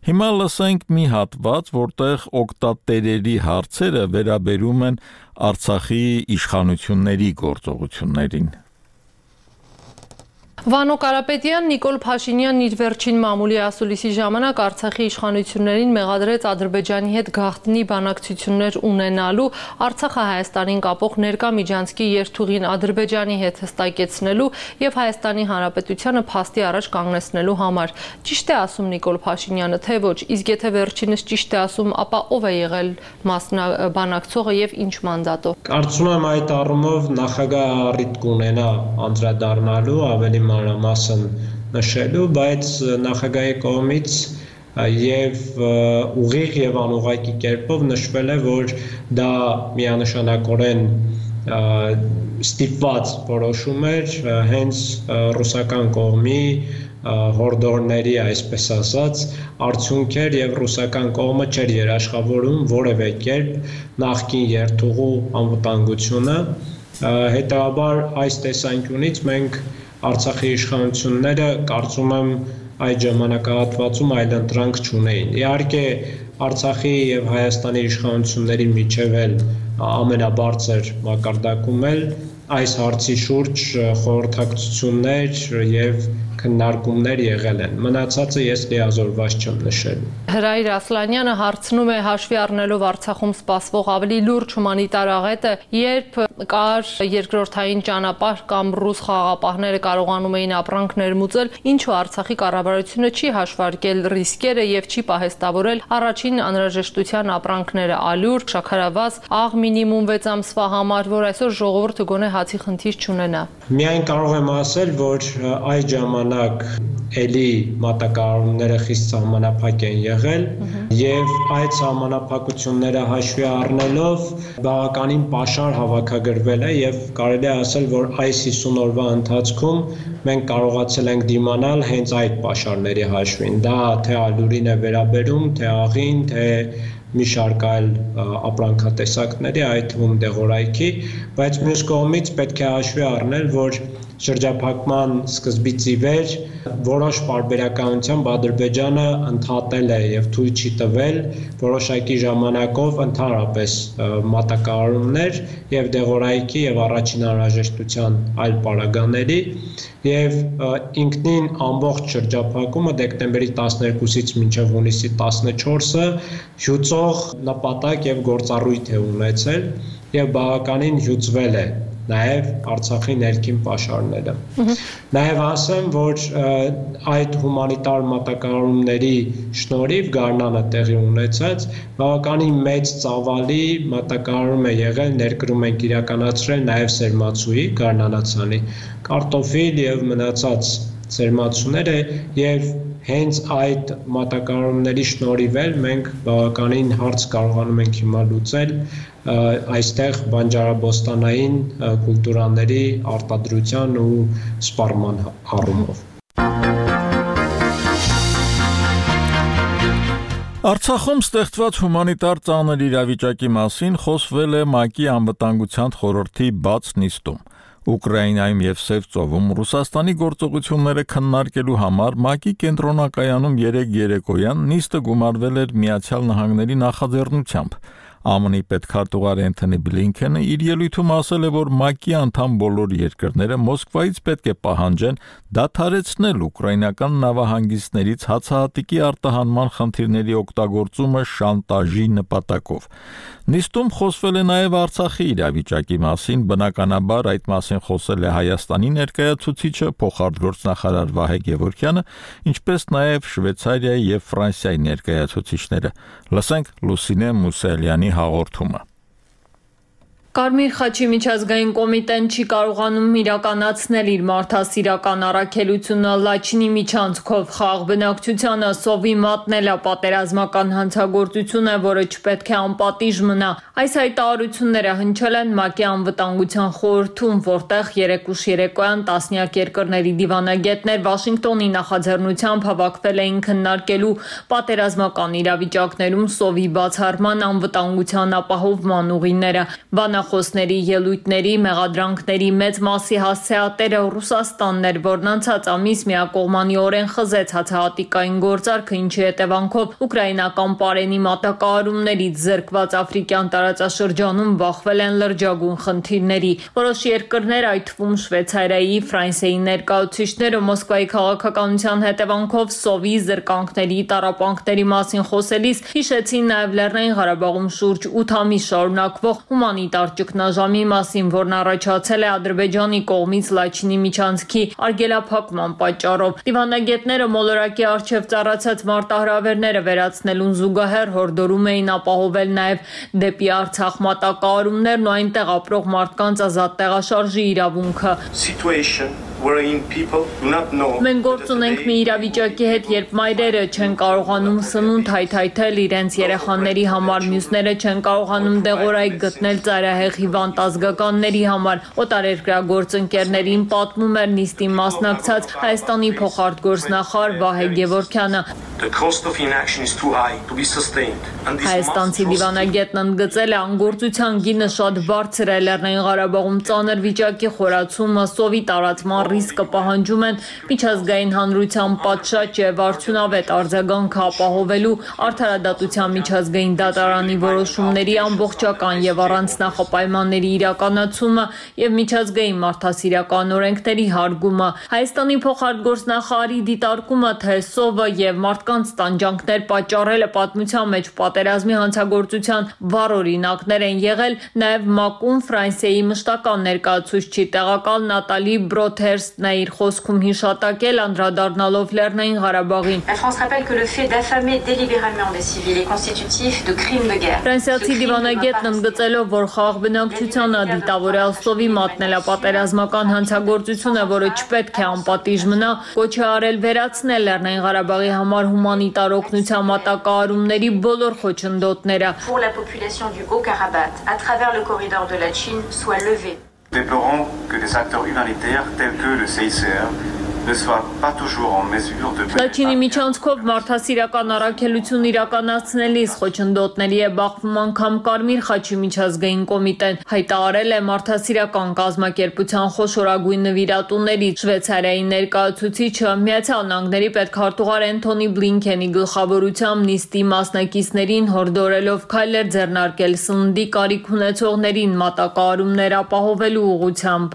Հիմա լսենք մի հատված, որտեղ օգտատերերի հարցերը վերաբերում են Արցախի իշխանությունների գործողություններին։ Վանո Կարապետյան Նիկոլ Փաշինյանն իր վերջին մամուլի ասուլիսի ժամանակ Արցախի իշխանություններին մեղադրեց Ադրբեջանի հետ գաղտնի բանակցություններ ունենալու, Արցախը Հայաստանին կապող ներկա միջանցքի երթուղին Ադրբեջանի հետ հստակեցնելու եւ Հայաստանի Հանրապետությանը փաստի առաջ կանգնեցնելու համար։ Ճիշտ է ասում Նիկոլ Փաշինյանը, թե ոչ, իսկ եթե վերջինս ճիշտ է ասում, ապա ով է եղել մասնաբանակցողը եւ ինչ մանդատով։ Կարծում եմ այդ առումով նախագահը առիթ կունենա անդրադառնալու ավելի մանրամասն նշելու, բայց նախագահի կողմից եւ ուղիղ եւ անուղղակի կերպով նշվել է, որ դա միանշանակորեն ստիպված որոշում էր հենց ռուսական կողմի հորդորների, այսպես ասած, արդյունք էր եւ ռուսական կողմը չէր երաշխավորում որևէ կերպ նախկին երթուղու անվտանգությունը։ Հետաբար այս տեսանկյունից մենք Արցախի իշխանությունները կարծում եմ այդ ժամանակահատվածում այլ ընտրանք չունեին։ Իհարկե Արցախի եւ Հայաստանի իշխանությունների միջև էլ ամենաբարձր մակարդակում էլ այս հարցի շուրջ խորհրդակցություններ եւ քննարկումներ եղել են։ Մնացածը ես լիազորված չեմ նշել։ Հրայր Ասլանյանը հարցնում է հաշվի առնելով Արցախում սպասվող ավելի լուրջ հումանիտար աղետը, երբ կար երկրորդային ճանապարհ կամ ռուս խաղաղապահները կարողանում էին ապրանք ներմուծել, ինչու Արցախի կառավարությունը չի հաշվարկել ռիսկերը եւ չի պահեստավորել առաջին անհրաժեշտության ապրանքները՝ ալյուր, շաքարավազ, աղ մինիմում վեց ամսվա համար, որ այսօր ժողովուրդը գոնե հացի խնդիր չունենա։ Միայն կարող եմ ասել, որ այդ ժամանակ էլի մատակարարումները խիստ սահմանափակ են եղել եւ այդ սահմանափակությունները հաշվի առնելով բավականին պաշար հավաքագրվել է եւ կարելի է ասել, որ այս հիսուն օրվա ընթացքում մենք կարողացել ենք դիմանալ հենց այդ պաշարների հաշվին։ Դա թե ալյուրին է վերաբերում, թե աղին, թե մի շարք այլ ապրանքատեսակների, այդ թվում դեղորայքի, բայց մյուս կողմից պետք է հաշվի առնել, որ շրջափակման սկզբից ի վեր որոշ պարբերականությամբ Ադրբեջանը ընդհատել է եւ թույլ չի տվել որոշակի ժամանակով ընդհանրապես մատակարարումներ եւ դեղորայքի եւ առաջին անհրաժեշտության այլ պարագաների եւ ինքնին ամբողջ շրջափակումը դեկտեմբերի տասներկուսից մինչեւ հունիսի տասնչորսը հյուծող նպատակ եւ գործառույթ է ունեցել եւ բավականին հյուծվել է նաև Արցախի ներքին պաշարները։ Նաև ասեմ, որ այդ հումանիտար մատակարարումների շնորհիվ Գարնանը տեղի ունեցած բավականին մեծ ծավալի մատակարարում է եղել, ներկրում ենք իրականացրել նաև սերմացուի Գարնանացանի, կարտոֆիլ եւ մնացած սերմացուները եւ հենց այդ մատակարարումների շնորհիվ էլ մենք բավականին հարց կարողանում ենք հիմա լուծել այստեղ բանջարաբոստանային կուլտուրաների արտադրության ու սպառման առումով։ Արցախում ստեղծված հումանիտար ծանր իրավիճակի մասին խոսվել է ՄԱԿ-ի անվտանգության խորհրդի բաց նիստում։ Ուկրաինայում եւ Սև ծովում Ռուսաստանի գործողությունները քննարկելու համար ՄԱԿ-ի կենտրոնակայանում երեկ երեկոյան նիստը գումարվել էր Միացյալ Նահանգների նախաձեռնությամբ։ ԱՄՆ-ի պետքարտուղար Էնթոնի Բլինքենը իր ելույթում ասել է, որ ՄԱԿ-ի անդամ բոլոր երկրները Մոսկվայից պետք է պահանջեն դադարեցնել ուկրաինական նավահանգիստներից հացահատիկի արտահանման խնդիրների օգտագործումը շանտաժի նպատակով։ Նիստում խոսվել է նաև Արցախի իրավիճակի մասին, բնականաբար այդ մասին խոսել է Հայաստանի ներկայացուցիչը փոխարտգործնախարար Վահե Գևորգյանը, ինչպես նաև Շվեյցարիայի եւ Ֆրանսիայի ներկայացուցիչները։ Լսենք Լուսինե Մուսալյանի հաղորդումը։ Կարմիր խաչի միջազգային կոմիտեն չի կարողանում իրականացնել իր մարդասիրական առաքելությունը Լաչինի միջանցքով խաղաղ բնակչությանը սովի մատնելը պատերազմական հանցագործություն է, որը չպետք է անպատիժ մնա։ Այս հայտարարությունները հնչել են ՄԱԿ-ի անվտանգության խորհրդում, որտեղ երեկուշ երեկոյան տասնյակ երկրների դիվանագետներ Վաշինգտոնի նախաձեռնությամբ հավաքվել էին քննարկելու պատերազմական իրավիճակներում սովի բացառման անվտանգության ապահովման ուղիները։ Բանախոսների ելույթների, մեղադրանքների մեծ մասի հասցեատերը Ռուսաստանն էր, որն անցած ամիս միակողմանիորեն խզեց հացահատիկային գործարքը, ինչի հետևանքով ուկրաինական պարենի մատակարարումներից զրկված աֆրիկյան տարածաշրջանում բախվել են լրջագույն խնդիրների։ Որոշ երկրներ, այդ թվում Շվեյցարիայի, Ֆրանսիայի ներկայացուցիչները Մոսկվայի քաղաքականության հետևանքով սովի զրկանքների, տառապանքների մասին խոսելիս հիշեցին նաև Լեռնային Ղարաբաղում շուրջ ութ ամիս շարունակվող հումանիտար ճգնաժամի մասին, որն առաջացել է Ադրբեջանի կողմից Լաչինի միջանցքի արգելափակման պատճառով։ Դիվանագետները մոլորակի առջև ծառացած մարտահրավերները վերացնելուն զուգահեռ հորդորում էին ապահովել նաև դեպի Արցախ մատակարարումներն ու այնտեղ ապրող մարդկանց ազատ տեղաշարժի իրավունքը։ Մենք գործ ունենք մի իրավիճակի հետ, երբ մայրերը չեն կարողանում սնունդ հայթայթել իրենց երեխաների համար, մյուսները չեն կարողանում դեղորայք գտնել ծայրահեղ հիվանդ ազգականների համար։ Օտարերկրյա գործընկերներին պատմում էր նիստին մասնակցած Հայաստանի փոխարտգործնախարար Վահե Գևորգյանը։ Հայաստանցի դիվանագետն ընդգծել է անգործության գինը շատ բարձր է Լեռնային Ղարաբաղում ծանր վիճակի խորացումը, սովի տարածման ռիսկը պահանջում են միջազգային հանրության պատշաճ եւ արդյունավետ արձագանքը ապահովելու արդարադատության միջազգային դատարանի որոշումների ամբողջական եւ առանց նախապայմանների իրականացումը եւ միջազգային մարդասիրական օրենքների հարգումը։ Հայաստանի փոխարտգործնախարարի դիտարկումը, թե սովը եւ մարդկանց տանջանքներ պատճառելը պատմության մեջ պատերազմի հանցագործության վառ օրինակներ են եղել, նաև ՄԱԿ-ում Ֆրանսիայի մշտական ներկայացուցչի տեղակալ Նատալի Բրոթերստն է իր խոսքում հիշատակել, անդրադառնալով Լեռնային Ղարաբաղին։ Ֆրանսիացի դիվանագետն ընդգծելով, որ խաղաղ բնակչությանը դիտավորյալ սովի մատնելը պատերազմական հանցագործություն է, որը չպետք է անպատիժ մնա, կոչ է արել վերացնել Լեռնային Ղարաբաղի համար հումանիտար օգնության մատակարարումների բոլոր խոչընդոտները։ Déplorons que des acteurs humanitaires tels que le C I C R ne soient pas toujours en mesure de Լաչինի միջանցքով մարդասիրական առաքելություն իրականացնելիս խոչընդոտների է բախվում անգամ Կարմիր խաչի միջազգային կոմիտեն, հայտարարել է մարդասիրական կազմակերպության խոշորագույն նվիրատուներից Շվեյցարիայի ներկայացուցիչը Միացյալ Նահանգների պետքարտուղար Էնթոնի Բլինքենի գլխավորությամբ նիստի մասնակիցներին հորդորելով քայլեր ձեռնարկել սննդի կարիք ունեցողներին մատակարարումներ ապահովելու ուղղությամբ։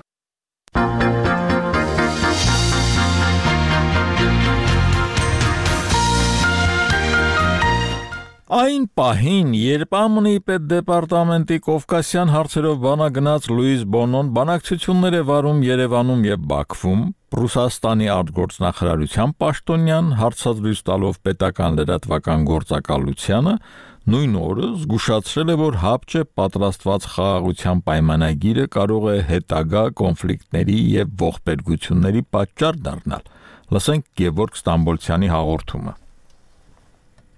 Այն պահին, երբ ԱՄՆ-ի պետդեպարտամենտի Կովկասյան հարցերով բանագնաց Լուիս Բոնոն բանակցություններ է վարում Երևանում եւ Բաքվում, Ռուսաստանի արտգործնախարարության պաշտոնյան հարցազրույց տալով պետական լրատվական գործակալությանը, նույն օրը զգուշացրել է, որ հապճ է պատրաստված խաղաղության պայմանագիրը կարող է հետագա կոնֆլիկտների եւ ողբերգությունների պատճառ դառնալ։ Լսենք Գևորգ Ստամբոլցյանի հաղորդումը։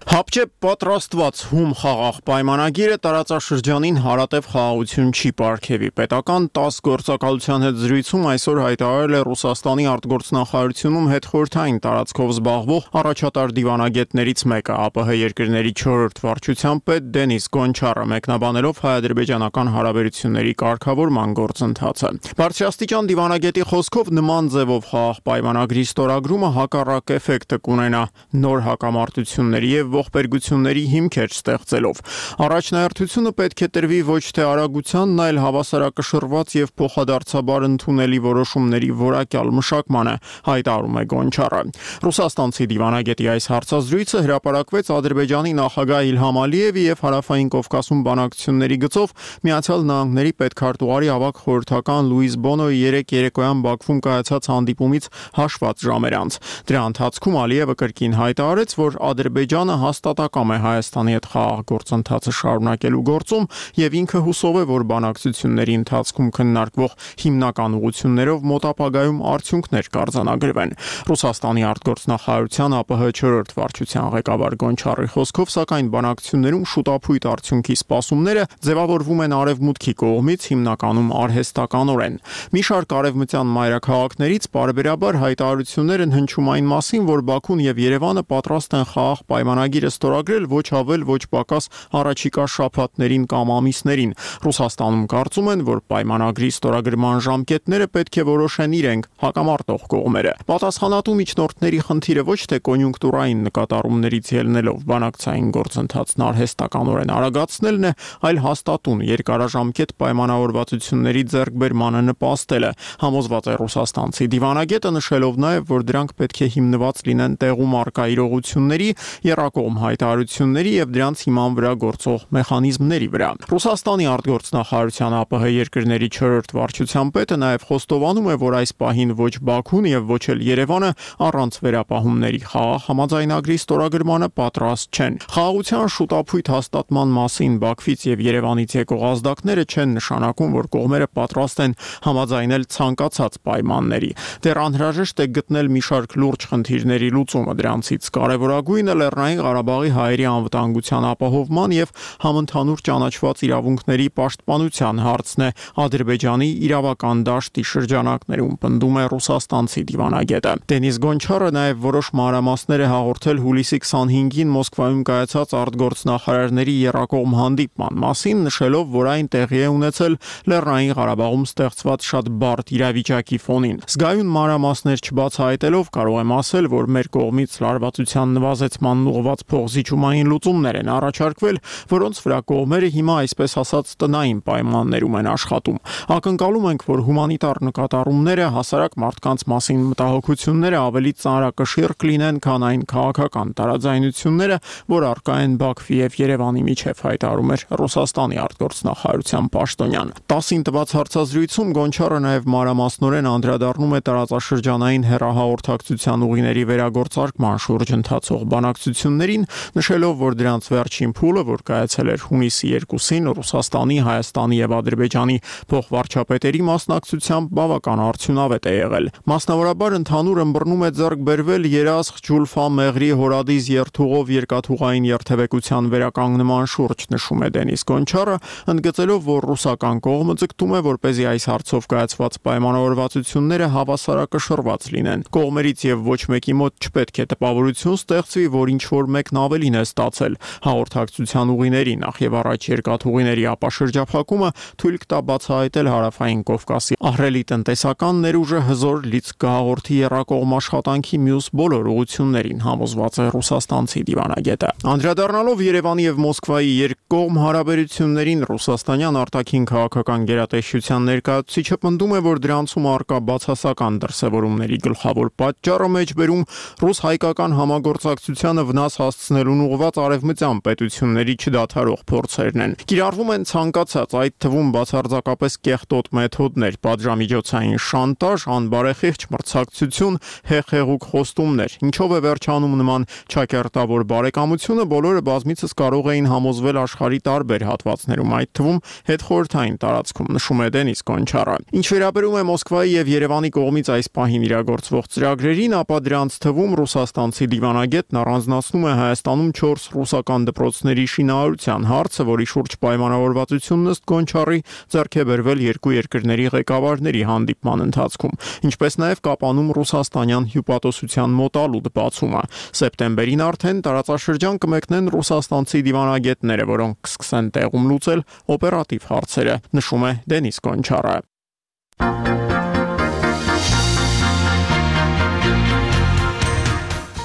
Հապճեպ պատրաստված հում խաղաղ պայմանագիրը տարածաշրջանին հարատև խաղաղություն չի պարգևի։ Պետական տասը գործակալության հետ զրույցում այսօր հայտարարել է Ռուսաստանի արտգործնախարարությունում հետխորհրդային տարածքով զբաղվող առաջատար դիվանագետներից մեկը, ԱՊՀ երկրների չորրորդ վարչության պետ Դենիս Գոնչարը, մեկնաբանելով հայ-ադրբեջանական հարաբերությունների կարգավորման գործընթացը։ Բարձրաստիճան դիվանագետի խոսքով նման ձևով խաղաղ պայմանագրի ստորագրումը հակառակ էֆեկտը կունենա նոր հակամարտությունների եւ ողբերգությունների հիմքեր ստեղծելով։ Առաջնահերթությունը պետք է տրվի ոչ թե արագությանն, այլ հավասարակշռված եւ փոխադարձաբար ընդունելի որոշումների որակյալ մշակմանը, հայտարարում է Գոնչարը։ Ռուսաստանցի դիվանագետի այս հարցազրույցը հրապարակվեց Ադրբեջանի նախագահ Իլհամ Ալիևի եւ Հարավային Կովկասում բանակցությունների գծով Միացյալ Նահանգների պետքարտուղարի ավագ խորհրդական Լուիս Բոնոյի երեկ երեկոյան Բաքվում կայացած հանդիպումից հաշված ժամեր անց։ Դրա ընթացքում Ալիևը կրկին հայտարարեց, որ Ադրբեջանը հաստատակամ է Հայաստանի հետ խաղաղ գործընթացը շարունակելու գործում եւ ինքը հուսով է, որ բանակցությունների ընթացքում քննարկվող հիմնական ուղղություններով մոտ ապագայում արդյունքներ կարձանագրվեն։ Ռուսաստանի արտգործնախարարության ԱՊՀ չորրորդ վարչության ղեկավար Գոնչարի խոսքով, սակայն բանակցություններում շուտապույտ արդյունքի սպասումները ձևավորվում են արևմուտքի կողմից հիմնականում արհեստականորեն։ Մի շարք արևմտյան մայրաքաղաքներից բարբերաբար հայտարարություններ են հնչում այն մասին, որ Բաքուն եւ Երևանը պատրաստ են խաղաղ պայմանագիրը ստորագրել ոչ ավել ոչ պակաս առաջիկա շաբաթներին կամ ամիսներին։ Ռուսաստանում կարծում են, որ պայմանագրի ստորագրման ժամկետները պետք է որոշեն իրենք, հակամարտող կողմերը։ Պատասխանատու միջնորդների խնդիրը ոչ թե կոնյունկտուրային նկատառումներից ելնելով բանակցային գործընթացն արհեստականորեն արագացնելն է, այլ հաստատուն երկարաժամկետ պայմանավորվածությունների ձեռքբերմանը նպաստելը, համոզված է ռուսաստանցի դիվանագետը, նշելով նաև, որ դրանք պետք է հիմնված լինեն տեղում առկա իրողությունների, եռակողմ հայտարարությունների եւ դրանց հիման վրա գործող մեխանիզմների վրա։ Ռուսաստանի արտգործնախարարության ԱՊՀ երկրների չորրորդ վարչության պետը նաև խոստովանում է, որ այս պահին ոչ Բաքուն եւ ոչ էլ Երևանը առանց վերապահումների խաղաղ համաձայնագրի ստորագրմանը պատրաստ չեն։ Խաղաղության շուտապույտ հաստատման մասին Բաքվից եւ Երևանից եկող ազդակները չեն նշանակում, որ կողմերը պատրաստ են համաձայնել ցանկացած պայմանների։ Դեռ անհրաժեշտ է գտնել մի շարք լուրջ խնդիրների լուծումը, դրանցից կարևորագույնը Լեռնային Ղարաբաղի հայերի անվտանգության ապահովման եւ համընդհանուր ճանաչված իրավունքների պաշտպանության հարցն է Ադրբեջանի իրավական դաշտի շրջանակներում, պնդում է ռուսաստանցի դիվանագետը։ Դենիս Գոնչարը նաև որոշ մանրամասներ է հաղորդել հուլիսի քսանհինգին Մոսկվայում կայացած արտգործնախարարների եռակողմ հանդիպման մասին, նշելով, որ այն տեղի է ունեցել Լեռնային Ղարաբաղում ստեղծված շատ բարդ իրավիճակի ֆոնին։ Զգայուն մանրամասներ չբացահայտելով կարող եմ ասել, որ մեր կողմից լարվածության նվազեցման ուղղված փոխզիջումային լուծումներ են առաջարկվել, որոնց վրա կողմերը հիմա այսպես ասած տնային պայմաններում են աշխատում։ Ակնկալում ենք, որ հումանիտար նկատառումները, հասարակ մարդկանց մասին մտահոգությունները ավելի ծանրակշիռ կլինեն, քան այն քաղաքական տարաձայնությունները, որ առկա են Բաքվի եւ Երևանի միջև, հայտարարում էր Ռուսաստանի արտգործնախարարության պաշտոնյան։ տասին տված հարցազրույցում Գոնչարը նաև մանրամասնորեն անդրադառնում է տարածաշրջանային հեռահաղորդակցության ուղիների վերագործարկման շուրջ ընթացող բանակցություններին, նշելով, որ դրանց վերջին փուլը, որ կայացել էր հունիսի երկուսին Ռուսաստանի, Հայաստանի եւ Ադրբեջանի փոխվարչապետերի մասնակցությամբ, բավական արդյունավետ է եղել։ Մասնավորաբար ընդհանուր ըմբռնում է ձեռք բերվել Երասխ, Ջուլֆա, Մեղրի, Հորադիս երթուղով երկաթուղային երթևեկության վերականգնման շուրջ, նշում է Դենիս Գոնչարը, ընդգծելով, որ ռուսական կողմը ձգտում է, որպեսզի այս հարցով կայացված պայմանավորվածությունները հավասարակշռված լինեն։ Կողմերից եւ ոչ մեկի մոտ չպետք է տպավորություն ստեղծվի, որ ինչ որ մեկն ավելին է ստացել։ Հաղորդակցության ուղիների, նախ եւ առաջ երկաթուղիների ապաշրջափակումը թույլ կտա բացահայտել Հարավային Կովկասի ահռելի տնտեսական ներուժը հզոր լիցք կհաղորդի եռակողմ աշխատանքի մյուս բոլոր ուղղություններին, համոզված է ռուսաստանցի դիվանագետը։ Անդրադառնալով Երևանի եւ Մոսկվայի երկկողմ հարաբերություններին, ռուսաստանյան արտաքին քաղաքական գերատեսչության ներկայացուցիչը պնդում է, որ դրանցում առկա բացասական դրսևորումների գլխավոր պատճառը մեջբերում ռուս-հայկական համագործակցությանը վնաս հասցնելուն ուղղված արևմտյան պետությունների չդադարող փորձերն են։ Կիրառվում են ցանկացած, այդ թվում բացարձակապես կեղտոտ մեթոդներ, պատժամիջոցային շանտաժ, անբարեխիղճ մրցակցություն, հեղեղուկ խոստումներ։ Ինչով է վերջանում նման ճակերտավոր բարեկամությունը, բոլորը բազմիցս կարող էին համոզվել աշխարհի տարբեր հատվածներում, այդ թվում հետխորհրդային տարածքում, նշում է Դենիս Գոնչարը։ Ինչ վերաբերում է Մոսկվայի եւ Երևանի կողմից այս պահին իրագործվող ծրագրերին, ապա դրանց թվում ռուսաստանցի դիվանագետն առանձնացնում է է Հայաստանում չորս ռուսական դպրոցների շինարարության հարցը, որի շուրջ պայմանավորվածությունն ըստ Գոնչարի ձեռք է բերվել երկու երկրների ղեկավարների հանդիպման ընթացքում, ինչպես նաև Կապանում ռուսաստանյան հյուպատոսության մոտալուտ բացումը։ Սեպտեմբերին արդեն տարածաշրջան կմեկնեն ռուսաստանցի դիվանագետները, որոնք կսկսեն տեղում լուծել օպերատիվ հարցերը, նշում է Դենիս Գոնչարը։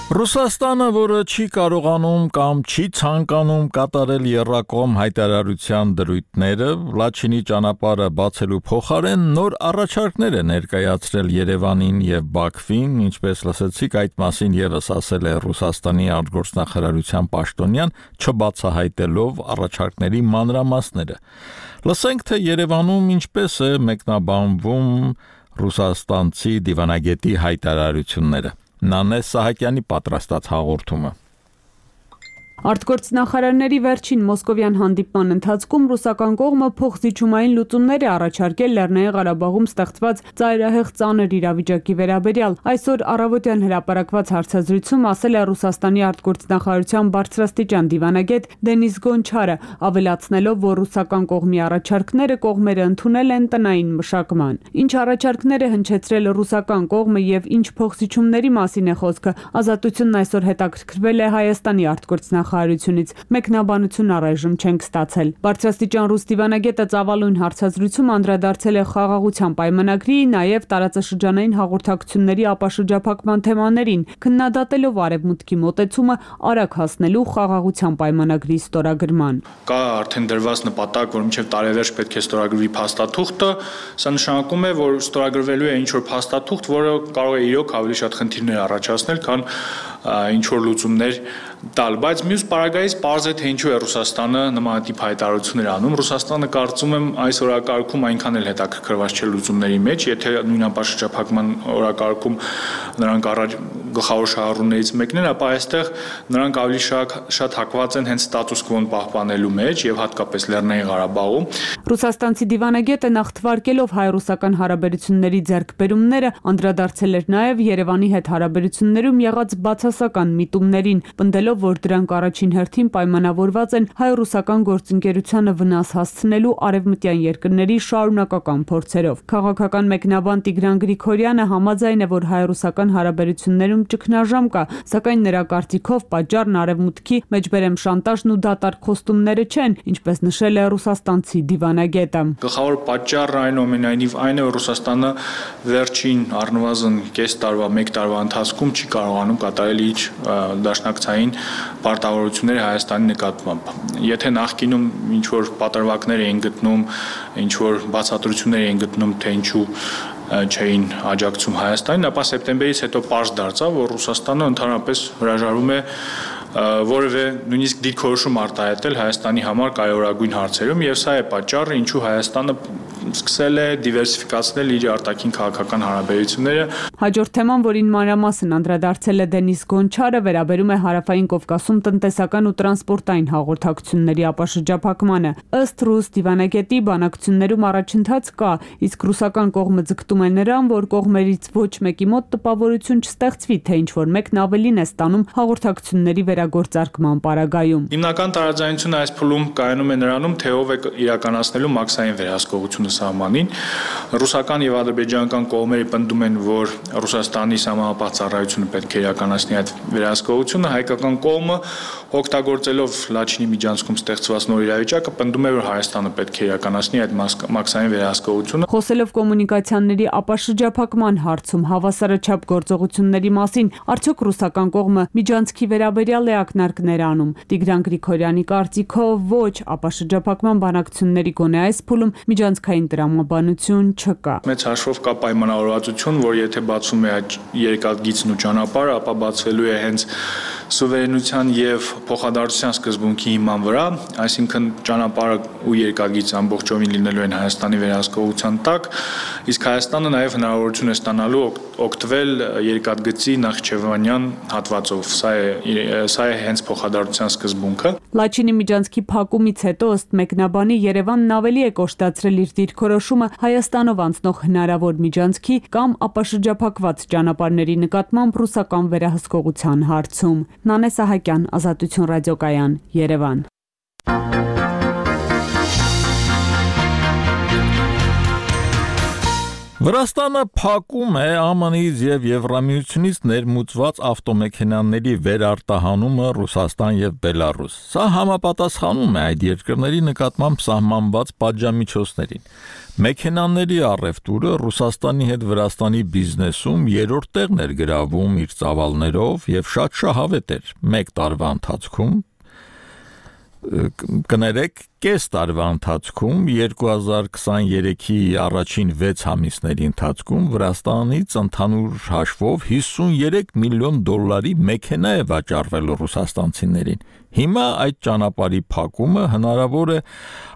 Ռուսաստանը, որը չի կարողանում կամ չի ցանկանում կատարել եռակողմ հայտարարության դրույթները, Լաչինի ճանապարհը բացելու փոխարեն նոր առաջարկներ է ներկայացրել Երևանին եւ Բաքվին, ինչպես լսեցիք, այդ մասին եւս ասել է Ռուսաստանի արտգործնախարարության պաշտոնյան, չբացահայտելով առաջարկների մանրամասները։ Լսենք, թե Երևանում ինչպես է մեկնաբանվում ռուսաստանցի դիվանագետի հայտարարությունները։ Նանե Սահակյանի պատրաստած հաղորդումը։ Արտգործնախարարների վերջին մոսկովյան հանդիպման ընթացքում ռուսական կողմը փոխզիջումային լուծումներ է առաջարկել Լեռնային Ղարաբաղում ստեղծված ծայրահեղ ծանր իրավիճակի վերաբերյալ։ Այսօր առավոտյան հրապարակված հարցազրույցում ասել է Ռուսաստանի արտգործնախարարության բարձրաստիճան դիվանագետ Դենիս Գոնչարը, ավելացնելով, որ ռուսական կողմի առաջարկները կողմերը ընդունել են տնային մշակման։ Ինչ առաջարկներ է հնչեցրել ռուսական կողմը եւ ինչ փոխզիջումների մասին է խոսքը, Ազատությունն այսօր հետաքրքրվել է Հայաստանի արտգործնախարարության Նախարարությունից մեկնաբանություն առայժմ չենք ստացել։ Բարձրաստիճան ռուս դիվանագետը ծավալուն հարցազրույցում անդրադարձել է խաղաղության պայմանագրի, նաև տարածաշրջանային հաղորդակցությունների ապաշրջափակման թեմաներին, քննադատելով Արևմուտքի մոտեցումը արագ հասնելու խաղաղության պայմանագրի ստորագրման։ Կա արդեն դրված նպատակ, որ մինչև տարեվերջ պետք է ստորագրվի փաստաթուղթը, սա նշանակում է, որ ստորագրվելու է ինչ-որ փաստաթուղթ, որը կարող է իրոք ավելի շատ խնդիրներ առաջացնել, քան ինչ-որ լուծումներ տալ, բայց մյուս պարագայից պարզ է, թե ինչու է Ռուսաստանը նմանատիպ հայտարարություններ անում։ Ռուսաստանը կարծում եմ այս օրակարգում այնքան էլ հետաքրքրված չէ լուծումների մեջ, եթե նույն ապաշրջափակման օրակարգում նրանք առաջ գլխավոր շահառուներից մեկն են, ապա այստեղ նրանք ավելի շատ, շատ հակված են հենց ստատուս կվոն պահպանելու մեջ եւ հատկապես Լեռնային Ղարաբաղում։ Ռուսաստանցի դիվանագետը նախ թվարկելով հայ-ռուսական հարաբերությունների ձեռքբերումները անդրադարձել էր նաև Երևանի հետ հարաբերություններում եղած բացասական միտումներին, պնդելով, որ դրանք առաջին հերթին պայմանավորված են հայ-ռուսական գործընկերությանը վնաս հասցնելու արևմտյան երկրների շարունակական փորձերով։ Քաղաքական մեկնաբան Տիգրան Գրիգորյանը համաձայն է, որ հայ-ռուսական հարաբերություններում ճգնաժամ կա, սակայն նրա կարծիքով պատճառն արևմուտքի մեջբերեմ շանտաժն ու դատարկ խոստումները չեն, ինչպես նշել է ռուսաստանցի դիվանագետը։ Գլխավոր պատճառը այնուամենայնիվ այն է, որ Ռուսաստանը վերջին առնվազն կես տարվա, մեկ տարվա ընթացքում չի կարողանում կատարել իր դաշնակցային պարտավորությունները Հայաստանի նկատմամբ։ Եթե նախկինում ինչ որ պատրվակներ էին գտնում, ինչ որ բացատրություններ էին գտնում, թե ինչու չէին աջակցում Հայաստանին, ապա սեպտեմբերից հետո պարզ դարձավ, որ Ռուսաստանը ընդհանրապես հրաժարվում է որևէ նույնիսկ դիրքորոշում արտահայտել Հայաստանի համար կարևորագույն հարցերում, եւ սա է պատճառը, ինչու Հայաստանը սկսել է դիվերսիֆիկացնել իր արտաքին քաղաքական հարաբերությունները։ Հաջորդ թեման, որին մանրամասն անդրադարձել է Դենիս Գոնչարը, վերաբերում է Հարավային Կովկասում տնտեսական ու տրանսպորտային հաղորդակցությունների ապաշրջափակմանը։ Ըստ ռուս դիվանագետի բանակցություններում առաջընթաց կա, իսկ ռուսական կողմը ձգտում է նրան, որ կողմերից ոչ մեկի մոտ տպավորություն չստեղծվի, թե ինչ որ մեկն ավելին է ստանում հաղորդակցությունների վերագործարկման պարագայում։ Հիմնական տարաձայնությունը այս փուլում կայանում է նրանում, թե ով է իրականացնելու մաքսային վերահսկողությունը սահմանին։ Ռուսական եւ ադրբեջանական կողմերը պնդում են, որ Ռուսաստանի սահմանապահ ծառայությունը պետք է իրականացնի այդ վերահսկողությունը, հայկական կողմը օգտագործելով Լաչինի միջանցքում ստեղծված նոր իրավիճակը պնդում է, որ Հայաստանը պետք է իրականացնի այդ մաքսային վերահսկողությունը։ Խոսելով կոմունիկացիաների ապաշրջափակման հարցում հավասարաչափ գործողությունների մասին, արդյոք ռուսական կողմը միջանցքի վերաբերյալ է ակնարկներ անում։ Տիգրան Գրիգորյանի կարծիքով ոչ, ապաշրջափակման բանակցությունների գոնե այս փուլում միջանցքային տրամաբանություն չկա։ Մեծ հաշվով կա պայմանավորվածություն, որ եթե բացում է այդ երկաթգիծն ու ճանապարհը, ապա բացվելու է հենց սուվերենության եւ փոխադարձության սկզբունքի հիման վրա, այսինքն ճանապարհը ու երկաթգիծը ամբողջովին լինելու են Հայաստանի վերահսկողության տակ, իսկ Հայաստանը նաեւ հնարավորություն է ստանալու օգտվել երկաթգծի Նախիջևանյան հատվածով։ Սա է սա է հենց փոխադարձության սկզբունքը։ Լաչինի միջանցքի փակումից հետո ըստ մեկնաբանի Երևանն ավելի է կոշտացրել իր դիրքորոշումը Հայաստանով անցնող հնարավոր միջանցքի կամ ապաշրջափակված ճանապարհների նկատմամբ ռուսական վերահսկողության հարցում։ Նանե Սահակյան, Ազատություն ռադիոկայան, Երևան։ Վրաստանը փակում է Α M N-ից եւ Եվրամիությունից ներմուծված ավտոմեքենաների վերարտահանումը Ռուսաստան եւ Բելարուս։ Սա համապատասխանում է այդ երկրների նկատմամբ սահմանված պատժամիջոցներին։ Մեքենաների առևտուրը Ռուսաստանի հետ Վրաստանի բիզնեսում երրորդ տեղն էր գրավում իր ծավալներով եւ շատ շահավետ էր։ Մեկ տարվա ընթացքում կներեք կես տարվա ընթացքում երկու հազար քսաներեքի առաջին վեց ամիսների ընթացքում Վրաստանից ընդհանուր հաշվով հիսուներեք միլիոն դոլարի մեքենա է վաճառվել ռուսաստանցիներին։ Հիմա այդ ճանապարհի փակումը հնարավոր է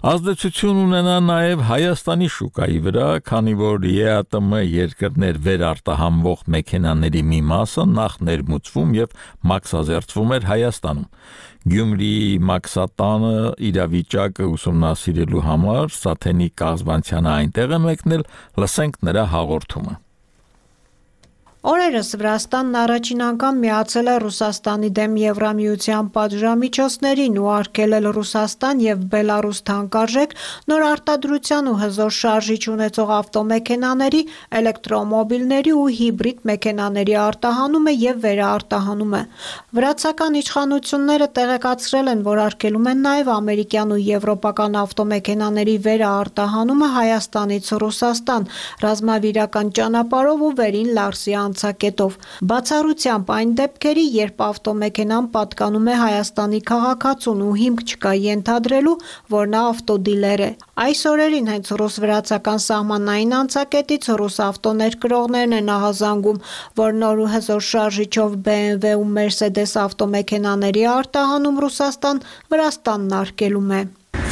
ազդեցություն ունենա նաև Հայաստանի շուկայի վրա, քանի որ Է Ա Տը Մը երկրներ վերարտահանվող մեքենաների մի մասը նախ ներմուծվում եւ մաքսազերծվում էր Հայաստանում։ Գյումրիի մաքսատանը իրավիճակը ուսումնասիրելու համար Սաթենի Կազբանցյանը այնտեղ է մեկնել, լսենք նրա հաղորդումը։ Օրերս Վրաստանն առաջին անգամ միացել է Ռուսաստանի դեմ Եվրամիության պատժամիջոցներին ու արգելել Ռուսաստան եւ Բելարուս թանկարժեք նոր արտադրության ու հզոր շարժիչ ունեցող ավտոմեքենաների, էլեկտրոմոբիլների ու հիբրիդ մեքենաների արտահանումը եւ վերաարտահանումը։ Վրացական իշխանությունները տեղեկացրել են, որ արգելում են նաեւ ամերիկյան ու եվրոպական ավտոմեքենաների վերաարտահանումը Հայաստանից Ռուսաստան, ռազմավիրական ճանապարհով ու վերին Լարսի անցակետով։ Բացառությամբ այն դեպքերի, երբ ավտոմեքենան պատկանում է Հայաստանի քաղաքացուն ու հիմք չկա ենթադրելու, որ նա ավտոդիլեր է։ Այս օրերին հենց ռուս-վրացական սահմանային անցակետից ռուս ավտոներկրողներն են ահազանգում, որ նոր ու հզոր շարժիչով B M W ու Mercedes ավտոմեքենաների արտահանում Ռուսաստան Վրաստանն արգելում է։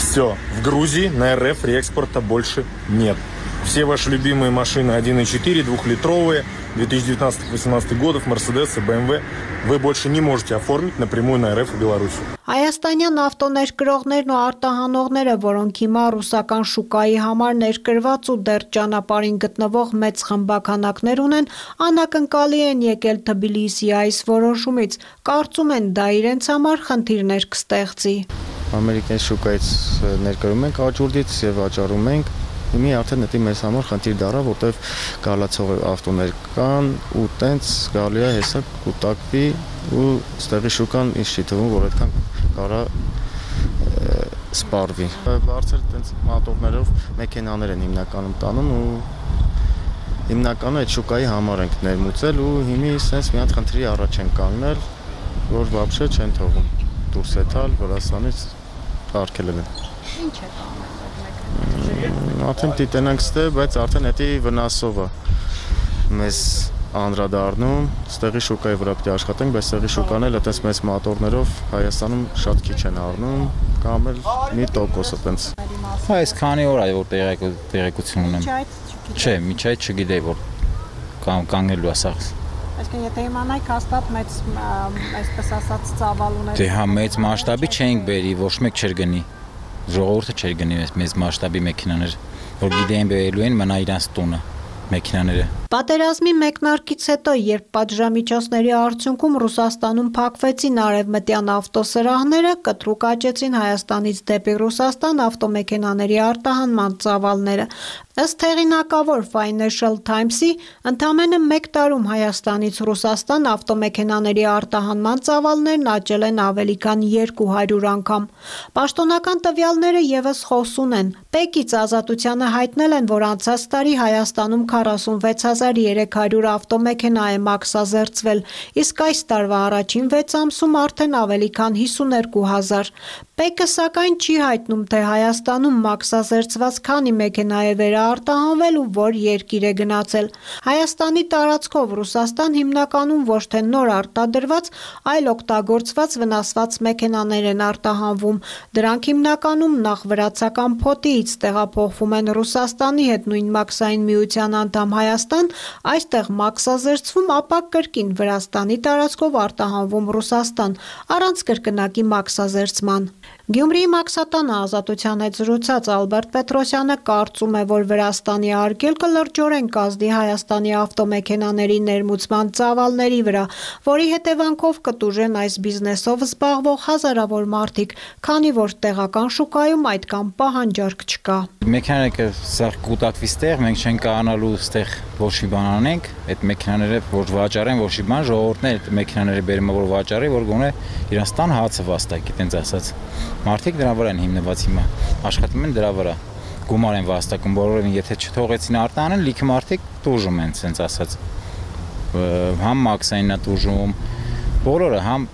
Все, в Грузии на Эр Эф реэкспорта больше нет. Все ваши любимые машины один и четыре, двухлитровые, две тысячи девятнадцатого — две тысячи восемнадцатого годов, Mercedes и B M W, вы больше не можете оформить напрямую на Эр Эф и Белоруссию. Հայաստանյան ավտոներկրողներն ու արտահանողները, որոնք հիմա ռուսական շուկայի համար ներկրված ու դեռ ճանապարհին գտնվող մեծ խմբականակներ ունեն, անակնկալի են եկել Թբիլիսիի այս որոշումից, կարծում են դա իրենց համար խնդիրներ կստեղծի։ Ամերիկյան շուկայից ներկրում ենք աճուրդից եւ վաճառում ենք։ Հիմա արդեն դա մեզ համար խնդիր դառավ, որտեվ գալացող ավտոներ կան ու տենց գալի է հեսա կուտակվի ու ստեղի շուկան ինչ չի թվում, որ այդքան կարա սպառվի։ Բարձր տենց մատորներով մեքենաներ են հիմնականում տանում ու հիմնականում այդ շուկայի համար ենք ներմուծել ու հիմի sense մի հատ խնդրի առաջ են կանգնել, որ вообще չեն թողում դուրս եթալ Վրաստանից արգելել են։ Ինչ է կանում։ Արդեն դիտենանք ստե, բայց արդեն էտի վնասով է մեզ անդրադառնում, ստեղի շուկայի վրա պետք է աշխատենք, բայց ստեղի շուկան էլ այդպես մեծ մատորներով Հայաստանում շատ քիչ են առնում, կամ էլ մի տոկոս այդպես։ Այս քանի օր է որ տեղեկություն ունեմ։ Չէ, միջ այդ չգիտեի որ կանգնելու է սա։ Այսինքն եթե իմանայիք հաստատ մեծ այսպես ասած ծավալ ունեք։ Դե հա մեծ մասշտաբի չենք բերի, ոչ մեկ չէր գնի։ Ժողովուրդը չէր գնի մեծ մասշտաբի մեքենաներ, որ գիտեին բերելու են մնա իրանց տունը մեքենաները։ Պատերազմի մեկնարկից հետո, երբ պատժամիջոցների արդյունքում Ռուսաստանում փակվեցին արևմտյան ավտոսրահները, կտրուկ աճեցին Հայաստանից դեպի Ռուսաստան ավտոմեքենաների արտահանման ծավալները։ Ըստ հեղինակավոր Financial Times-ի, ընդամենը մեկ տարում Հայաստանից Ռուսաստան ավտոմեքենաների արտահանման ծավալներն աճել են ավելի քան երկու հարյուր անգամ։ Պաշտոնական տվյալները եւս խոսուն են։ Պեկից Ազատությանը հայտնել են, որ անցած տարի Հայաստանում քառասունվեց հազար երեք հարյուր ավտոմեքենա է մաքսազերծվել, իսկ այս տարվա առաջին վեց ամսում արդեն ավելի քան հիսուներկու հազար։ Պեկը սակայն չի հայտնում, թե Հայաստանում մաքսազերծված քանի մեքենա է վերաարտահանվել ու որ երկիր է գնացել։ Հայաստանի տարածքով Ռուսաստան հիմնականում ոչ թե նոր արտադրված, այլ օգտագործված վնասված մեքենաներ են արտահանվում։ Դրանք հիմնականում նախ վրացական փոտիից տեղափոխվում են Ռուսաստանի հետ նույն մաքսային միության անդամ Հայաստան, այստեղ մաքսազերծվում, ապա կրկին Վրաստանի տարածքով արտահանվում Ռուսաստան, առանց կրկնակի մաքսազերծման։ Գյումրիի Մաքսատանը Ազատության հետ զրուցած Ալբերտ Պետրոսյանը կարծում է, որ Վրաստանի արգելքը լրջորեն կազդի Հայաստանի ավտոմեքենաների ներմուծման ծավալների վրա, որի հետևանքով կտուժեն այս բիզնեսով զբաղվող հազարավոր մարդիկ, քանի որ տեղական շուկայում այդքան պահանջարկ չկա։ Մեքենաները սա կուտակվի ստեղ, մենք չենք կարողանալու ստեղ ոչ մի բան անենք, այդ մեքենաները որ վաճառեն, ոչ մի բան, ժողովուրդն է այդ մեքենաները բերում որ վաճառի, որ գոնե իրանց տան հացը վաստակի, տենց ասած։ Մարդիկ դրա վրա են հիմնված հիմա, աշխատում են դրա վրա, գումար են վաստակում, բոլորովին եթե չթողեցին արտահանել, լիքը մարդիկ տուժում են, ասենց ասած, համ մաքսայինն է տուժում, բոլորը, համ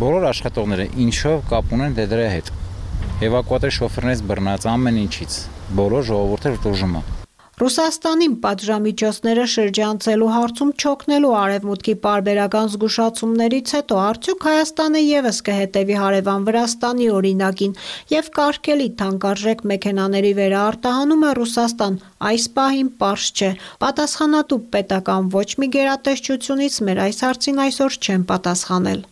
բոլոր աշխատողները ինչով կապ ունեն դրա հետ, էվակուատոր շոֆերներից բռնած ամեն ինչից, բոլոր ժողովուրդը տուժում է։ Ռուսաստանին պատժամիջոցները շրջանցելու հարցում չօգնելու արևմուտքի պարբերական զգուշացումներից հետո արդյոք Հայաստանը ևս կհետևի հարևան Վրաստանի օրինակին եւ կարգելի թանկարժեք մեքենաների վերարտահանումը Ռուսաստան այս պահին պարզ չէ։ Պատասխանատու պետական ոչ մի գերատեսչությունից մեր այս հարցին այսօր չեն պատասխանել։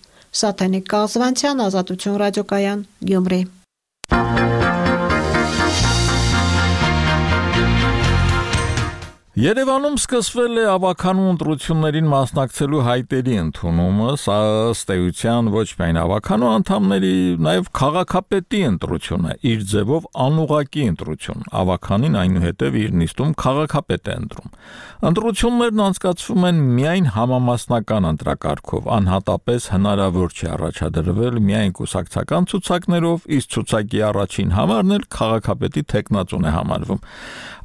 Սաթենիկ Կազվանցյան, Ազատություն ռադիոկայան, Գյումրի։ Երևանում սկսվել է ավականու ընտրություններին մասնակցելու հայտերի ընդունումը, սա ըստ էության ոչ միայն ավականու անդամների, նաև քաղաքապետի ընտրություն է, իր ձևով անուղղակի ընտրություն, ավականին այնուհետև իր նիստում քաղաքապետ է ընտրում։ Ընտրություններն անցկացվում են միայն համամասնական ընտրակարգով, անհատապես հնարավոր չի առաջադրվել միայն կուսակցական ցուցակներով, իսկ ցուցակի առաջին համարն էլ քաղաքապետի թեկնածուն է համարվում։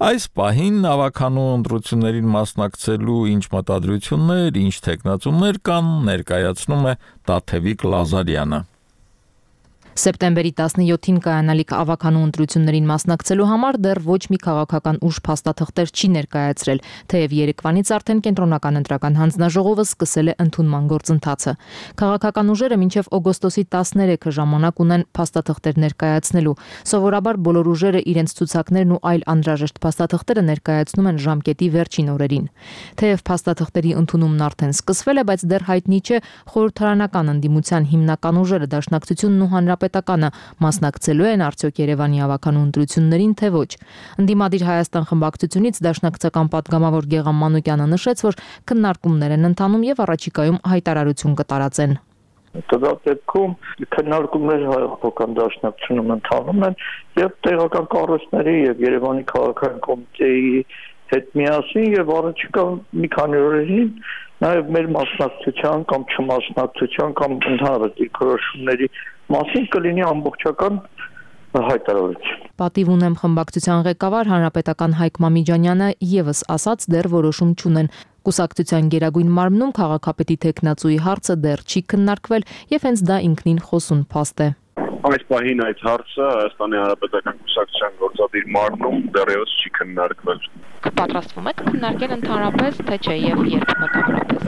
Այս պահին ավականու ընտրություններին մասնակցելու ինչ մտադրություններ, ինչ թեկնածուներ կան, ներկայացնում է Տաթևիկ Լազարյանը։ Սեպտեմբերի տասնյոթին կայանալիք ավականու ընտրություններին մասնակցելու համար դեռ ոչ մի քաղաքական ուժ փաստաթղթեր չի ներկայացրել, թեև երեկվանից արդեն կենտրոնական ընտրական հանձնաժողովը սկսել է ընդունման գործընթացը։ Քաղաքական ուժերը մինչև օգոստոսի տասներեքը ժամանակ ունեն փաստաթղթեր ներկայացնելու։ Սովորաբար բոլոր ուժերը իրենց ցուցակներն ու այլ անհրաժեշտ փաստաթղթերը ներկայացնում են ժամկետի վերջին օրերին։ Թեև փաստաթղթերի ընդունումն արդեն սկսվել է, բայց դեռ հայտնի չէ խորհրդարանական ընդդիմության հիմնական ուժերը Դաշնակցությունն ու Հանրապետականը մասնակցելու են արդյոք Երևանի ավականու ընտրություններին, թե ոչ։ Ընդդիմադիր Հայաստան խմբակցությունից դաշնակցական պատգամավոր Գեգամ Մանուկյանը նշեց, որ քննարկումներ են ընթանում եւ առաջիկայում հայտարարություն կտարածեն։ Դա դեպքում քննարկումներ հայկական դաշնակցությունում ընթանում են եւ տեղական կառույցների եւ Երևանի քաղաքային կոմիտեի հետ միասին եւ առաջիկա մի քանի օրերին նաեւ մեր մասնակցության կամ չմասնակցության կամ ընդհանրապես դիրքորոշումների մասին կլինի ամբողջական հայտարարություն։ Պատիվ ունեմ խմբակցության ղեկավար հանրապետական Հայկ Մամիջանյանը եւս ասաց դեռ որոշում չունեն։ Կուսակցության գերագույն մարմնում քաղաքապետի թեկնածուի հարցը դեռ չի քննարկվել եւ հենց դա ինքնին խոսուն փաստ է։ Այս պահին այդ հարցը Հայաստանի Հանրապետական կուսակցության գործադիր մարմնում դեռևս չի քննարկվել։ Կպատրաստվում եք քննարկել ընդհանրապես, թե չէ եւ երբ մոտավորապես։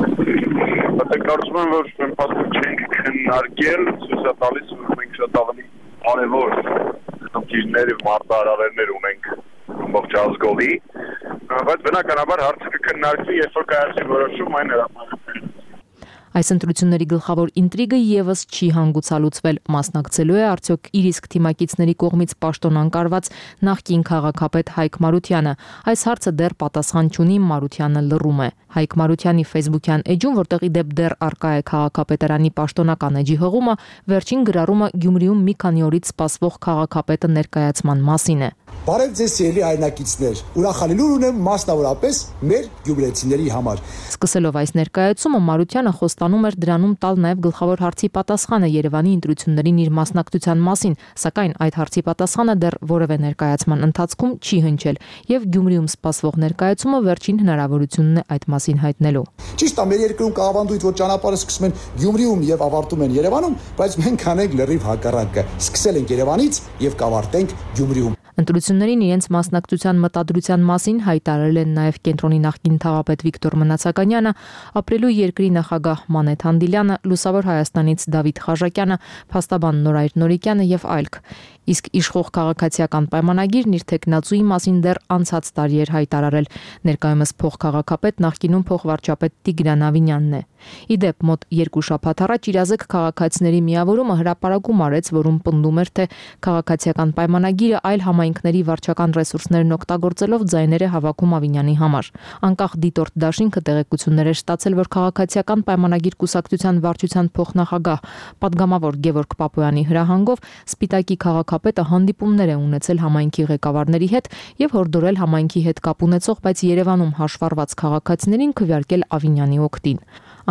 Բայց կարծում եմ, որ մենք պատմում չենք քննարկել, ցույց է տալիս, որ մենք շատ ավելի կարևոր խնդիրներ եւ մարտահրավերներ ունենք ամբողջ ազգովի, բայց բնականաբար հարցը կքննարկվի, երբ որ կայացի որոշում այն հրապարակվի։ Այս ընտրությունների գլխավոր ինտրիգը եւս չի հանգուցալուծվել, մասնակցելու է արդյոք իր իսկ թիմակիցների կողմից պաշտոն անկարված նախկին քաղաքապետ Հայկ Մարությանը։ Այս հարցը դեռ պատասխան չունի, Մարությանը լռում է։ Հայկ Մարությանի Facebook-յան էջում, որտեղ ի դեպ դեռ արկա է քաղաքապետարանի պաշտոնական էջի հղումը, վերջին գրառումը Գյումրիում մի քանի օրից սպասվող քաղաքապետը ներկայացման մասին է։ Բարև ձեզ սիրելի հայրենակիցներ, ուրախալի լուր ունեմ մասնավորապես մեր գյումրեցիների համար։ Սկսելով այս ներկայացումը Մարությանը խոստանում էր դրանում տալ նաև գլխավոր հարցի պատասխանը Երևանի ընտրություններին իր մասնակցության մասին, սակայն այդ հարցի պատասխանը դեռ որևէ ներկայացման ընթացքում չի հնչել, եւ Գյումրիում սպասվող ներկայացումը վերջին հնարավորությունն է այդ մասին հայտնելու։ Ճիշտ է, մեր երկրում կավանդույթ, որ ճանապարհը սկսում են Գյումրիում եւ ավարտում են Երևանում, բայց մենք անենք լրիվ հակառակը։ Սկսել ենք Երևանից եւ կավարտենք Գյումրիում։ Ընտրություններին իրենց մասնակցության մտադրության մասին հայտարարել են նաև կենտրոնի նախկին թաղապետ Վիկտոր Մնացականյանը, ապրելու երկրի նախագահ Մանեթ Հանդիլյանը, Լուսավոր Հայաստանից Դավիթ Խաժակյանը, փաստաբան Նորայր Նորիկյանը եւ այլք։ Իսկ իշխող քաղաքացիական պայմանագիրն իր տեխնացուի մասին դեռ անցած տարի էր հայտարարել։ Ներկայումս փոխքաղաքապետ նախկինում փոխվարչապետ Տիգրան Ավինյանն է։ Իդեպ մոտ երկու շաբաթ առաջ իրազեկ քաղաքացիների միավորումը հրապարակում արեց, որում պնդում էր, թե քաղաքացիական պայմանագիրը այլ համայնքների վարչական ռեսուրսներն օգտագործելով ձայներ է հավաքում Ավինյանի համար։ Անկախ դիտորդ դաշինքը տեղեկություններ էր ստացել, որ քաղաքացիական պայմանագիր կուսակցության վարչության փոխնախագահ պատգամավոր Գևորգ Պապոյանի հրահանգով Սպիտակի քաղաքապետը հանդիպումներ է ունեցել համայնքի ղեկավարների հետ եւ հորդորել համայնքի հետ կապ ունեցող, բայց Երևանում հաշվառված քաղաքացիներին քվեարկել Ավինյանի օգտին։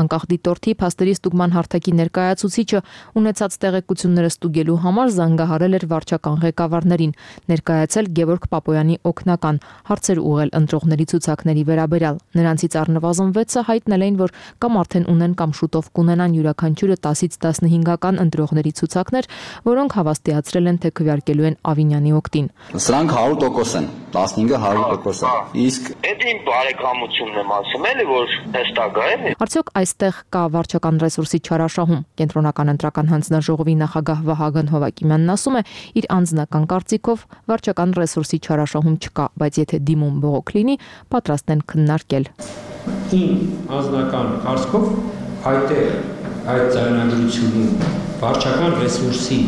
Անկախ դիտորդի փաստերի ստուգման հարթակի ներկայացուցիչը ունեցած տեղեկությունները ստուգելու համար զանգահարել էր վարչական ղեկավարներին, ներկայացել Գևորգ Պապոյանի օգնական, հարցեր ուղղել ընտրողների ցուցակների վերաբերյալ։ Նրանցից առնվազն վեցը հայտնել էին, որ կամ արդեն ունեն կամ շուտով կունենան յուրաքանչյուրը տասից տասնհինգական ընտրողների ցուցակներ, որոնք հավաստիացրել են, թե քվեարկելու են Ավինյանի օգտին։ Սրանք հարյուր տոկոս են, տասնհինգը հարյուր տոկոս է։ Իսկ այդ իմ բարեկամությունն եմ ասում, էլի որ հստակ է։ Արդյոք այստեղ կա վարչական ռեսուրսի չարաշահում։ Կենտրոնական ընտրական հանձնաժողովի նախագահ Վահագն Հովակիմյանն ասում է, իր անձնական կարծիքով վարչական ռեսուրսի չարաշահում չկա, բայց եթե դիմում բողոք լինի, պատրաստ են քննարկել։ Իմ անձնական կարծիքով այդտեղ այդ ձայնագրությունում վարչական ռեսուրսի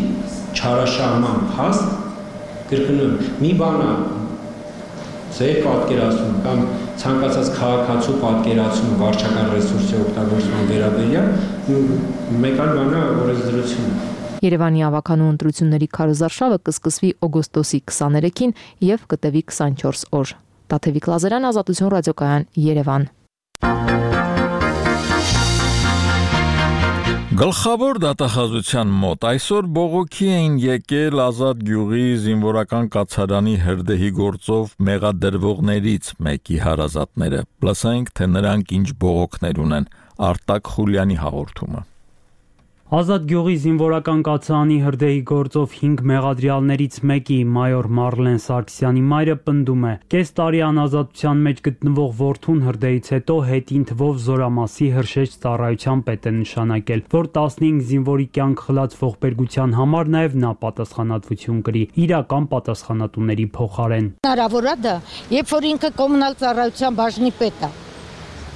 չարաշահման հաստ կրկնում մի բան է ձեր պատկերացում կամ ցանկացած քաղաքացու պատկերացում վարչական ռեսուրսի օգտագործման վերաբերյալ մեկ այլ բան է օրենսդրությունը։ Երևանի ավականու ընտրությունների քարոզարշավը կսկսվի օգոստոսի քսաներեքին եւ կտևի քսանչորս օր։ Տաթևիկ Լազարյան, Ազատություն ռադիոկայան, Երևան։ Գլխավոր դատախազության մոտ այսօր բողոքի էին եկել Ազատ գյուղի զինվորական կացարանի հրդեհի գործով մեղադրվողներից մեկի հարազատները։ Լսենք, թե նրանք ինչ բողոքներ ունեն։ Արտակ Խուլյանի հաղորդումը։ Ազատ գյուղի զինվորական կացարանի հրդեհի գործով հինգ մեղադրյալներից մեկի մայոր Մարլեն Սարգսյանի մայրը պնդում է. կես տարի անազատության մեջ գտնվող որդուն հրդեհից հետո հետին թվով զորամասի հրշեջ ծառայության պետ է նշանակել, որ տասնհինգ զինվորի կյանք խլած ողբերգության համար նաև նա պատասխանատվություն կրի իրական պատասխանատուների փոխարեն։ Հնարավոր է դա, երբ որ ինքը կոմունալ ծառայության բաժնի պետ է։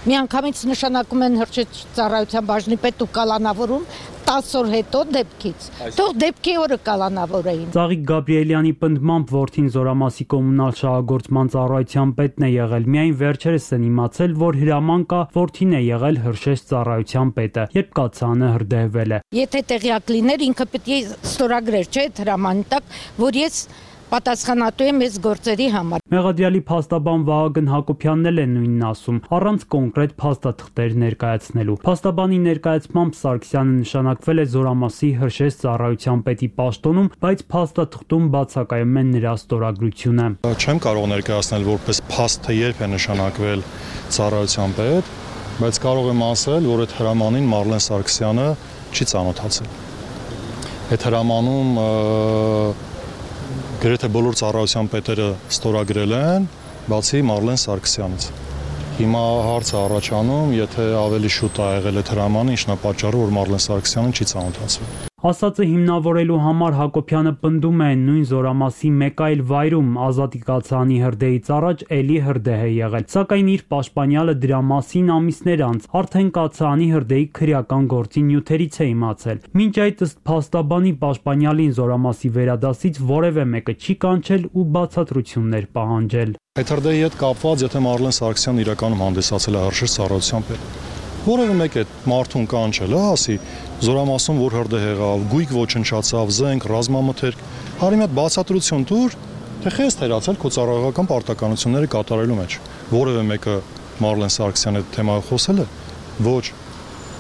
Միանգամից նշանակում են հրշեջ ծառայության բաժնի պետ ու կալանավորում տասը օր հետո դեպքից։ Թող դեպքի օրը կալանավորեին։ Ծաղիկ Գաբրիելյանի պնդմամբ որդին զորամասի կոմունալ շահագործման ծառայության պետն է եղել։ Միայն վերջերս են իմացել, որ հրաման կա, որդին է եղել հրշեջ ծառայության պետը, երբ կացարանը հրդեհվել է։ Եթե տեղյակ լիներ, ինքը պետք է ստորագրեր, չէ՞, հրամանի տակ, որ ես պատասխանատու եմ այս գործերի համար։ Մեղադրյալի փաստաբան Վահագն Հակոբյանն էլ է նույնն ասում, առանց կոնկրետ փաստաթղթեր ներկայացնելու։ Փաստաբանի ներկայացմամբ Սարգսյանը նշանակվել է զորամասի հրշեջ ծառայության պետի պաշտոնում, բայց փաստաթղթում բացակայում է նրա ստորագրությունը։ Չեմ կարող ներկայացնել որպես փաստ, թե երբ է նշանակվել ծառայության պետ, բայց կարող եմ ասել, որ այդ հրամանին Մարլեն Սարգսյանը չի ծանոթացել։ Այդ հրամանում գրեթե բոլոր ծառայության պետերը ստորագրել են, բացի Մարլեն Սարգսյանից։ Հիմա հարցը առաջանում, եթե ավելի շուտ է եղել այդ հրամանը, ինչն է պատճառը, որ Մարլեն Սարգսյանը չի ծանոթացվել։ Ասածը հիմնավորելու համար Հակոբյանը պնդում է նույն զորամասի մեկ այլ վայրում Ազատի կացարանի հրդեհից առաջ էլի հրդեհ է եղել, սակայն իր պաշտպանյալը դրա մասին ամիսներ անց արդեն կացարանի հրդեհի քրեական գործի նյութերից է իմացել։ Մինչ այդ ըստ փաստաբանի պաշտպանյալին զորամասի վերադասից որևէ մեկը չի կանչել ու բացատրություններ պահանջել։ Այդ հրդեհի հետ կապված, եթե Մարլեն Սարգսյանն իրականում հանդիսացել է հրշեջ ծառայության պետ, որևէ մեկ այդ մարդուն կանչել է, ասի զորամասում որ հրդեհ եղավ, գույք ոչնչացավ, զենք, ռազմամթերք, հարի մի հատ բացատրություն տուր, թե խես թերացել քո ծառայողական պարտականությունները կատարելու մեջ։ Որևէ մեկը Մարլեն Սարգսյանը այդ թեմայով խոսել է։ Ոչ։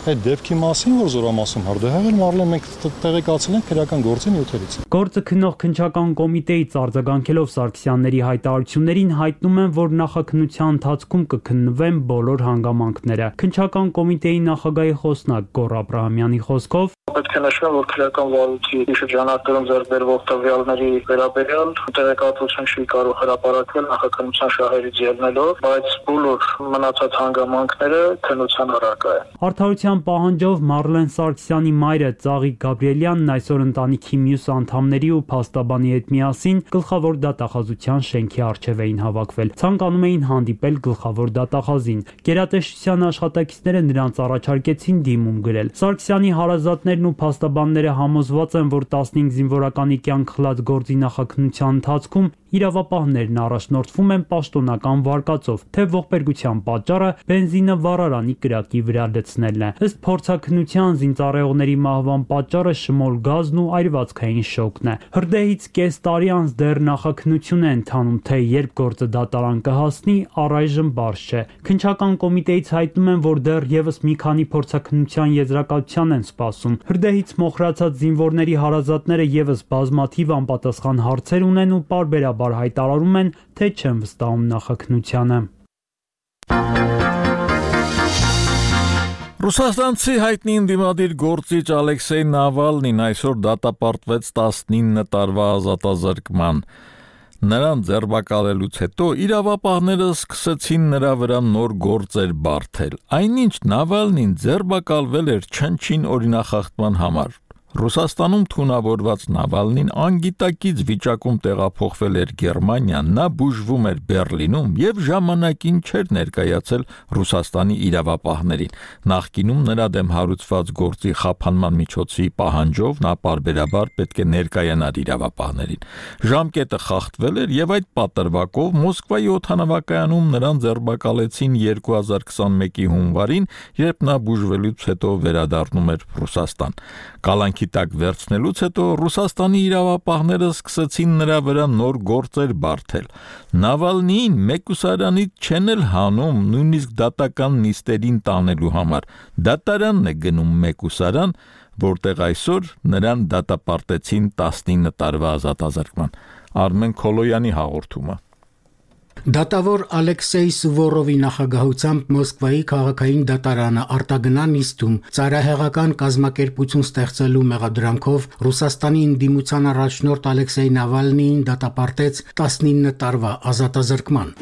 Այդ դեպքի մասին, որ զորամասում հրդեհ եղել, Մարլեն մենք տեղեկացել ենք քրեական գործի նյութերից։ Գործը քննող քննչական կոմիտեից արձագանքելով Սարգսյանների հայտարարություններին հայտնում են, որ նախաքննության ընթացքում կքննվեն բոլոր հանգամանքները։ Քննչական կոմիտեի նախագահի խոսնակ Գոռ Աբրահամյանի խոսքով պետք է նշվում, որ քրեական վարույթի շրջանակներում ձեռք բերվող տվյալների վերաբերյալ տեղեկատվություն չի կարող հրապարակվել նախաքննության շահերից ելնելով, բայց բոլոր մնացած հանգամանքները քննության առարկա են։ Արդարության պահանջով Մարլեն Սարգսյանի մայրը Ծաղիկ Գաբրիելյանն այսօր ընտանիքի մյուս անդամների ու փաստաբանի հետ միասին գլխավոր դատախազության շենքի առջև էին հավաքվել։ Ցանկանում էին հանդիպել գլխավոր դատախազին։ Գերատեսչության աշխատակիցները նրանց առաջարկեցին դիմում գրել։ Սարգսյանի հարազատներն ու փաստաբանները համոզված են, որ տասնհինգ զինվորականի կյանք խլած գործի նախաքննության ընթացքում իրավապահներն առաջնորդվում են պաշտոնական վարկածով, թե ողբերգության պատճառը բենզինը վառարանի կրակի վրա լցնելն է։ Ըստ փորձաքննության զինծառայողների մահվան պատճառը շմոլ գազն ու այրվածքային շոկն է։ Հրդեհից կես տարի անց դեռ նախաքննություն է ընթանում, թե երբ գործը դատարան կհասնի, առայժմ բարձ չէ։ Քննչական կոմիտեից հայտնում են, որ դեռ եւս մի քանի փորձաքննության եզրակացության են սպասում։ Հրդեհից մոխրացած զինվորների հարազատները եւս բազմաթիվ անպատասխան հարցեր ունեն ու պարբերաբար հայտարարում են, թե չեն վստահում նախաքննությանը։ Ռուսաստանցի հայտնի ընդդիմադիր գործիչ Ալեքսեյ Նավալնին այսօր դատապարտվեց տասնինը տարվա ազատազրկման։ Նրան ձերբակալելուց հետո իրավապահները սկսեցին նրա վրա նոր գործեր բարթել։ Այնինչ Նավալնին ձերբակալվել էր չնչին օրինախախտման համար։ Ռուսաստանում թունավորված Նավալնին անգիտակից վիճակում տեղափոխվել էր Գերմանիա, նա բուժվում էր Բերլինում եւ ժամանակին չէր ներկայացել Ռուսաստանի իրավապահներին։ Նախկինում նրա դեմ հարուցված գործի խափանման միջոցի պահանջով նա պարբերաբար պետք է ներկայանար իրավապահներին։ Ժամկետը խախտվել էր եւ այդ պատրվակով Մոսկվայի օդանավակայանում նրան ձերբակալեցին երկու հազար քսանմեկի հունվարին, երբ նա բուժվելուց հետո վերադառնում էր Ռուսաստան։ Կալանքի տակ վերցնելուց հետո Ռուսաստանի իրավապահները սկսեցին նրա վրա նոր գործեր բարթել։ Նավալնիին մեկուսարանից չեն էլ հանում, նույնիսկ դատական նիստերին տանելու համար։ Դատարանն է գնում մեկուսարան, որտեղ այսօր նրան դատապարտեցին տասնինը տարվա ազատազրկման։ Արմեն Քոլոյանի հաղորդումը։ Դատավոր Ալեքսեյ Սուվորովի նախագահությամբ Մոսկվայի քաղաքային դատարանը արտագնա նիստում ծայրահեղական կազմակերպություն ստեղծելու մեղադրանքով Ռուսաստանի ընդդիմության առաջնորդ Ալեքսեյ Նավալնիին դատապարտեց տասնինը տարվա ազատազրկման։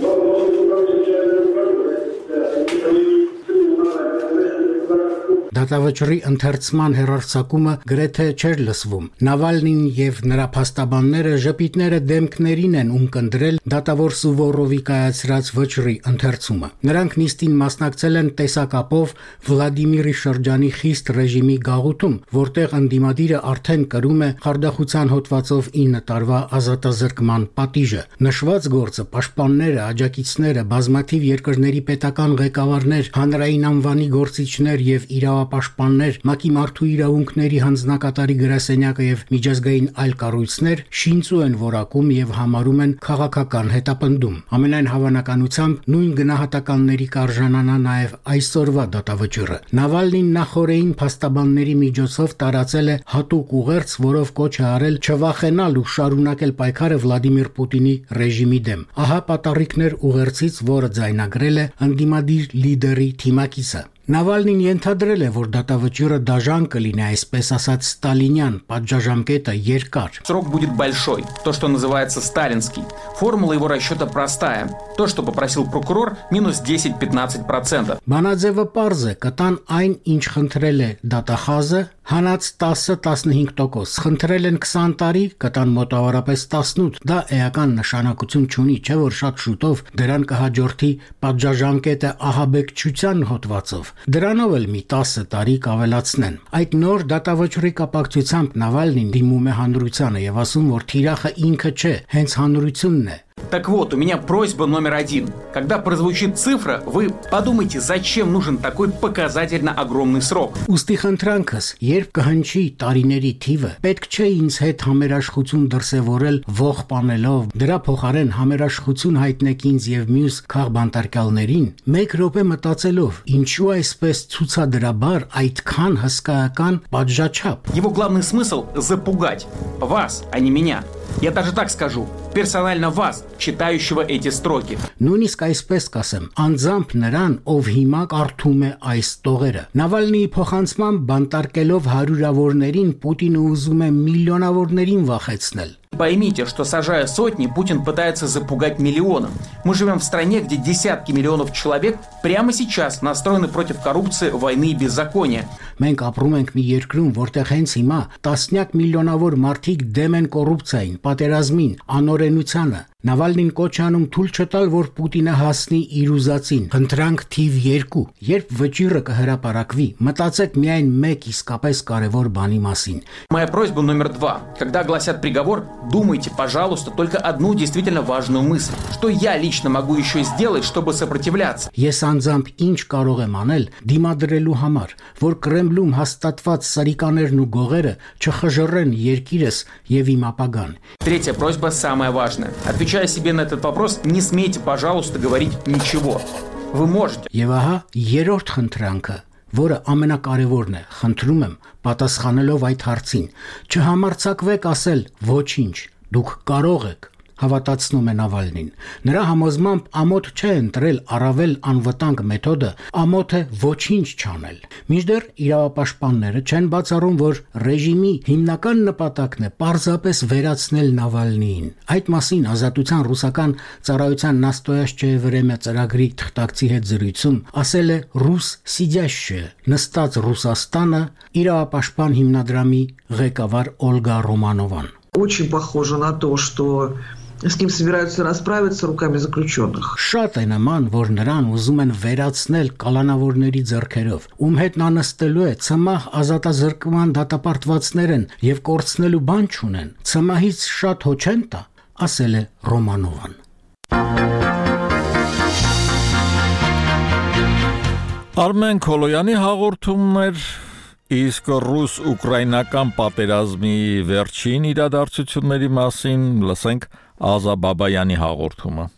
Դատավճռի ընթերցման հեռարձակումը գրեթե չէր լսվում։ Նավալնին եւ նրա փաստաբանները ժպիտները դեմքներին են ունկնդրել դատավոր Սուվորովի կայացրած վճռի ընթերցումը։ Նրանք նիստին մասնակցել են տեսակապով Վլադիմիրի շրջանի խիստ ռեժիմի գաղութում, որտեղ ընդդիմադիրը արդեն կրում է խարդախության հոդվածով ինը տարվա ազատազրկման պատիժը։ Նշված գործը պաշտպանները, աջակիցները, բազմաթիվ երկրների պետական ղեկավարներ, հանրային անվանի գործիչներ եւ իրավապահ պաշտպաններ, ՄԱԿ-ի մարդու իրավունքների հանձնակատարի գրասենյակը եւ միջազգային այլ կառույցներ շինծու են որակում եւ համարում են քաղաքական հետապնդում։ Ամենայն հավանականությամբ նույն գնահատականների կարժանանա նաեւ այսօրվա դատավճիռը։ Նավալնին նախորդին փաստաբանների միջոցով տարածել է հատուկ ուղերձ, որով կոչ է արել չվախենալ ու շարունակել պայքարը Վլադիմիր Պուտինի ռեժիմի դեմ։ Ահա պատառիկներ ուղերձից, որը ձայնագրել է ընդդիմադիր լիդերի թիմակիցը։ Նավալնին ենթադրել է, որ դատավճիռը դաժան կլինի, այսպես ասած ստալինյան, պատժաժամկետը երկար։ Срок будет большой, то, что называется сталинский. Формула его расчета простая. То, что попросил прокурор, минус десять-пятнадцать процентов. Բանաձևը պարզ է, կտան այն, ինչ խնդրել է դատախազը, հանած տասը-տասնհինգ տոկոս, խնդրել են քսան տարի, կտան մոտավորապես տասնութ, դա էական նշանակություն չունի, չէ որ շատ շուտով դրան կհաջորդի պատժաժամկետը ահաբեկչության հոդվածով, դրանով էլ մի տասը տարի կավելացնեն։ Այդ նոր դատավճռի կապակցությամբ Նավալնին դիմում է հանրությանը եւ ասում, որ թիրախը ինքը չէ, հենց հանրությունն է։ Так вот, у меня просьба номер один. Когда прозвучит цифра, вы подумайте, зачем нужен такой показательно огромный срок. Ուստի խնդրանքս, երբ կհնչի տարիների թիվը, պետք չէ ինձ հետ համերաշխություն դրսևորել ողջ պանելով, դրա փոխարեն համերաշխություն հայտնեք ինձ եւ մյուս քաղբանտարկյալներին, մեկ րոպե մտածելով, ինչու այսպես ցուցադրաբար այդքան հսկայական պատժաչափ։ Его главный смысл запугать вас, а не меня. Я даже так скажу, персонально вас, читающего эти строки. Նույնիսկ այսպես կասեմ, անձամբ նրան, ով հիմա կարդում է այս տողերը։ Նավալնիի փոխանցման բանտարկելով հարյուրավորներին Պուտինը ուզում է միլիոնավորներին վախեցնել։ Поймите, что сажая сотни, Путин пытается запугать миллионы. Мы живем в стране, где десятки миллионов человек прямо сейчас настроены против коррупции, войны и беззакония. Մենք ապրում ենք մի երկրում, որտեղ հենց հիմա տասնյակ միլիոնավոր մարդիկ դեմ են կոռուպցիային, պատերազմին, անօրենությանը։ Նավալնին կոչ անում թույլ չտալ, որ Պուտինը հասնի իր ուզածին։ Խնդրանք թիվ երկու. երբ վճիռը կհրապարակվի, մտածեք միայն մեկ իսկապես կարևոր բանի մասին։ Моя просьба номер два. Когда огласят приговор, думайте, пожалуйста, только одну действительно важную мысль. Что я лично могу еще сделать, чтобы сопротивляться? Ես անձամբ ինչ կարող եմ անել դիմադրելու համար, որ Կրեմլում հաստատված սարիկաներն ու գողերը չխժռեն երկիրս եւ իմ ապագան։ Третья просьба самая важная. Отвечая себе на этот вопрос, не смейте, пожалуйста, говорить ничего. Вы можете. Եվ ահա երրորդ խնդրանքը, որը ամենակարևորն է, խնդրում եմ, պատասխանելով այդ հարցին, չհամարձակվեք ասել ոչինչ, դուք կարող եք, հավատացնում է Նավալնին։ Նրա համոզմամբ ամոթ չէ ընտրել առավել անվտանգ մեթոդը, ամոթ է ոչինչ չանել։ Մինչդեռ իրավապաշտպանները չեն բացառում, որ ռեժիմի հիմնական նպատակն է պարզապես վերացնել Նավալնիին։ Այդ մասին Ազատության ռուսական ծառայության Նաստոյաշչեի Վրեմյա ծրագրի թղթակցի հետ զրույցում ասել է ռուս սիդյաշը նստած Ռուսաստանը իրավապաշտպան հիմնադրամի ղեկավար Օլգա Ռոմանովան։ Очень похоже на то, что с кем собираются расправиться руками заключенных. Շատ է նման, որ նրան ուզում են վերացնել կալանավորների ձեռքերով, ում հետ նա նստելու է, ցմահ ազատազրկման դատապարտվածներն եւ կորցնելու բան չունեն։ Ցմահից շատ հո չեն տա, ասել է Ռոմանովան։ Արմեն Քոլոյանի հաղորդումներ իսկ ռուս-ուկրաինական պատերազմի վերջին իրադարձությունների մասին լսենք Ազա Բաբայանի հաղորդումը։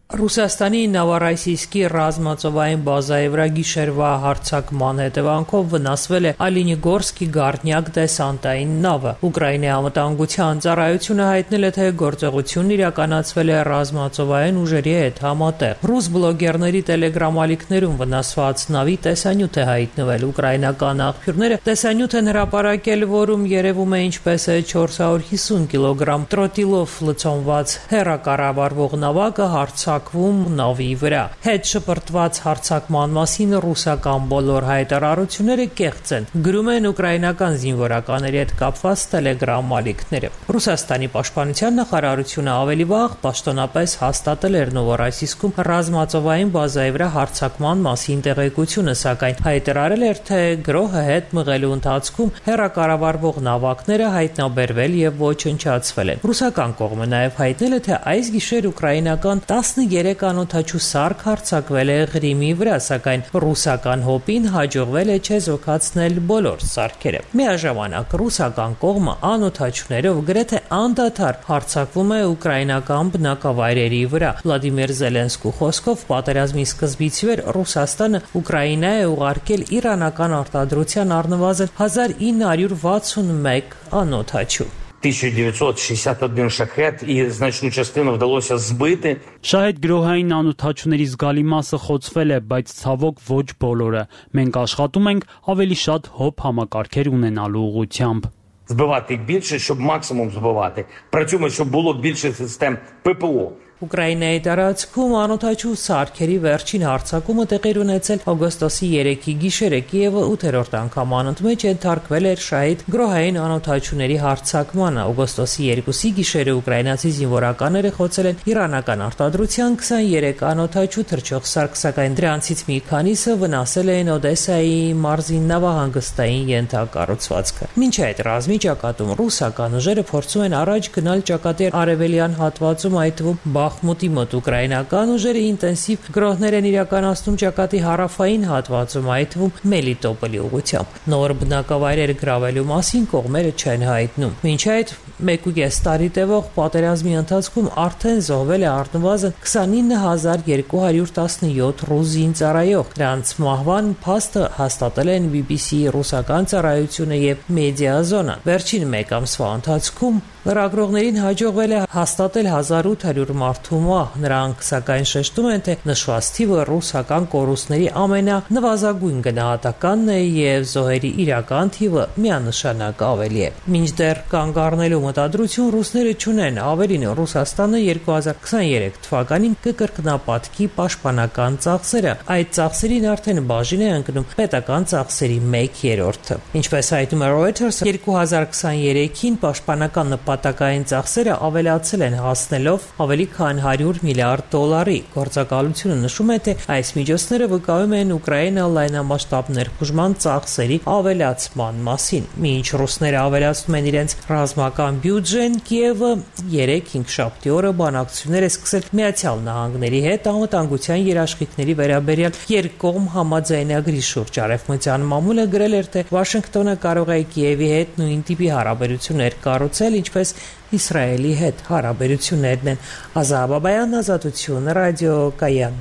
Ռուսաստանի Նովորոսիյսկի ռազմածովային բազայի վրա գիշերվա հարձակման հետևանքով վնասվել է Ալինիգորսկի Գառնյակ դեսանտային նավը։ Ուկրաինայի անվտանգության ծառայությունը հայտնել է, թե գործողությունն իրականացվել է ռազմածովային ուժերի հետ համատեղ։ Ռուս բլոգերների տելեգրամ-ալիքներում վնասված նավի տեսանյութ է հայտնվել։ Ուկրաինական աղբյուրները տեսանյութ են հրապարակել, որում երևում է ինչպես է չորս հարյուր հիսուն կիլոգրամ տրոտիլով լցոնված հեռակառավարվող նավակը հարցակ նավի վրա։ Հետ շպրտված հարձակման մասին ռուսական բոլոր հայտարարությունները կեղծ են, գրում են ուկրաինական զինվորականների հետ կապված տելեգրամ ալիքները։ Ռուսաստանի պաշտպանության նախարարությունը ավելի վաղ պաշտոնապես հաստատել էր Նովորոսիյսկում ռազմածովային բազայի վրա հարձակման մասին տեղեկությունը, սակայն հայտարարել էր, թե գրոհը հետ մղելու ընթացքում հեռակառավարվող նավակները հայտնաբերվել եւ ոչնչացվել են։ Ռուսական կողմը նաեւ հայտնել է, թե այս գիշեր ուկրաինական տասներեք անօդաչու սարք հարձակվել է Ղրիմի վրա, սակայն ռուսական հոպին հաջողվել է չեզոքացնել բոլոր սարքերը։ Միաժամանակ ռուսական կողմը անօդաչուներով գրեթե անդադար հարձակվում է ուկրաինական բնակավայրերի վրա։ Վլադիմիր Զելենսկու խոսքով պատերազմի սկզբից ի վեր Ռուսաստանը Ուկրաինա է ուղարկել իրանական արտադրության առնվազն հազար ինը հարյուր վաթսունմեկ անօդաչու։ тисяча девятьсот шестьдесят один шахет и значную частину вдалося збити. Շահեդ գրոհային անօդաչուների զգալի մասը խոցվել է, բայց ցավոք ոչ բոլորը։ Մենք աշխատում ենք ավելի շատ հոբ համակարգեր ունենալու ուղղությամբ։ Збивати їх більше, щоб максимум збивати. Працюємо, щоб було більше систем ППО. Ուկրաինայի տարածքում անօդաչու սարքերի վերջին հարձակումը տեղի ունեցել օգոստոսի երեքի գիշերը Կիևը ութերորդ անգամ անընդմեջ ենթարկվել էր շահիդ գրոհային անօդաչուների հարձակմանը։ Օգոստոսի երկուսի գիշերը ուկրաինացի զինվորականները խոցել են իրանական արտադրության քսաներեք անօդաչու թռչող սարք, սակայն դրանցից մի քանիսը վնասել էին Օդեսայի մարզի նավահանգստային ենթակառուցվածքը։ Մինչ այդ ռազմի ճակատում ռուսական ուժերը փորձում են առաջ գնալ ճակատի արևելյան հատվածում, այդ թվում Բախմուտի մոտ ուկրաինական ուժերը ինտենսիվ գրոհներ են իրականացնում ճակատի հարավային հատվածում, այդ թվում Մելիտոպոլի ուղղությամբ։ Նոր բնակավայրեր գրավելու մասին կողմերը չեն հայտնում։ Մինչ այդ Մեկուկես տարի տևող պատերազմի ընթացքում արդեն զոհվել է առնվազն քսանինը հազար երկու հարյուր տասնյոթ ռուս զինծառայող։ Նրանց մահվան փաստը հաստատել են բի բի սի-ի ռուսական ծառայությունը եւ մեդիազոնը։ Վերջին մեկ ամսվա ընթացքում լրագրողներին հաջողվել է հաստատել հազար ութ հարյուր մարդու մահ։ Նրանք սակայն շեշտում են, թե նշված թիվը ռուսական կորուստների ամենանվազագույն գնահատականն է եւ զոհերի իրական թիվը միանշանակ ավելի է։ Մինչդեռ կանգ առնելու մտադրություն ռուսները չունեն, ավելին Ռուսաստանը երկու հազար քսաներեք թվականին կկրկնապատկի պաշտպանական ծախսերը։ Այդ ծախսերին արդեն բաժին է ընկնում պետական ծախսերի մեկ երրորդը։ Ինչպես հայտնում է Reuters, երկու հազար քսաներեքին պաշտպանական նպատակային ծախսերը ավելացել են, հասնելով ավելի քան հարյուր միլիարդ դոլարի։ Գործակալությունը նշում է, թե այս միջոցները վկայում են Ուկրաինա լայնամասշտաբ ներխուժման ծախսերի ավելացման մասին։ Մինչ ռուսները ավելացնում են իրենց ռազմական բյուջեն, Կիևը երեք-հինգշաբթի օրը բանակցություններ է սկսել Միացյալ Նահանգների հետ անվտանգության երաշխիքների վերաբերյալ երկկողմ համաձայնագրի շուրջ։ Արևմտյան մամուլը գրել էր, թե Վաշինգտոնը կարող է Կիևի հետ նույն տիպի հարաբերություններ կառուցել, ինչպես Իսրայելի հետ հարաբերություններն են։ Ազատ Բաբայան, Ազատություն, ռադիոկայան։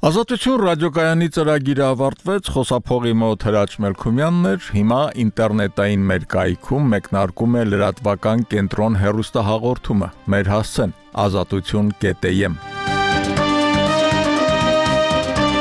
Ազատություն ռադիոկայանի ծրագիրը ավարտվեց, խոսափողի մոտ Հրաչ Մելքումյանն էր, հիմա ինտերնետային մեր կայքում մեկնարկում է լրատվական կենտրոն հեռուստահաղորդումը։ Մեր հասցեն ազատություն կետ էմ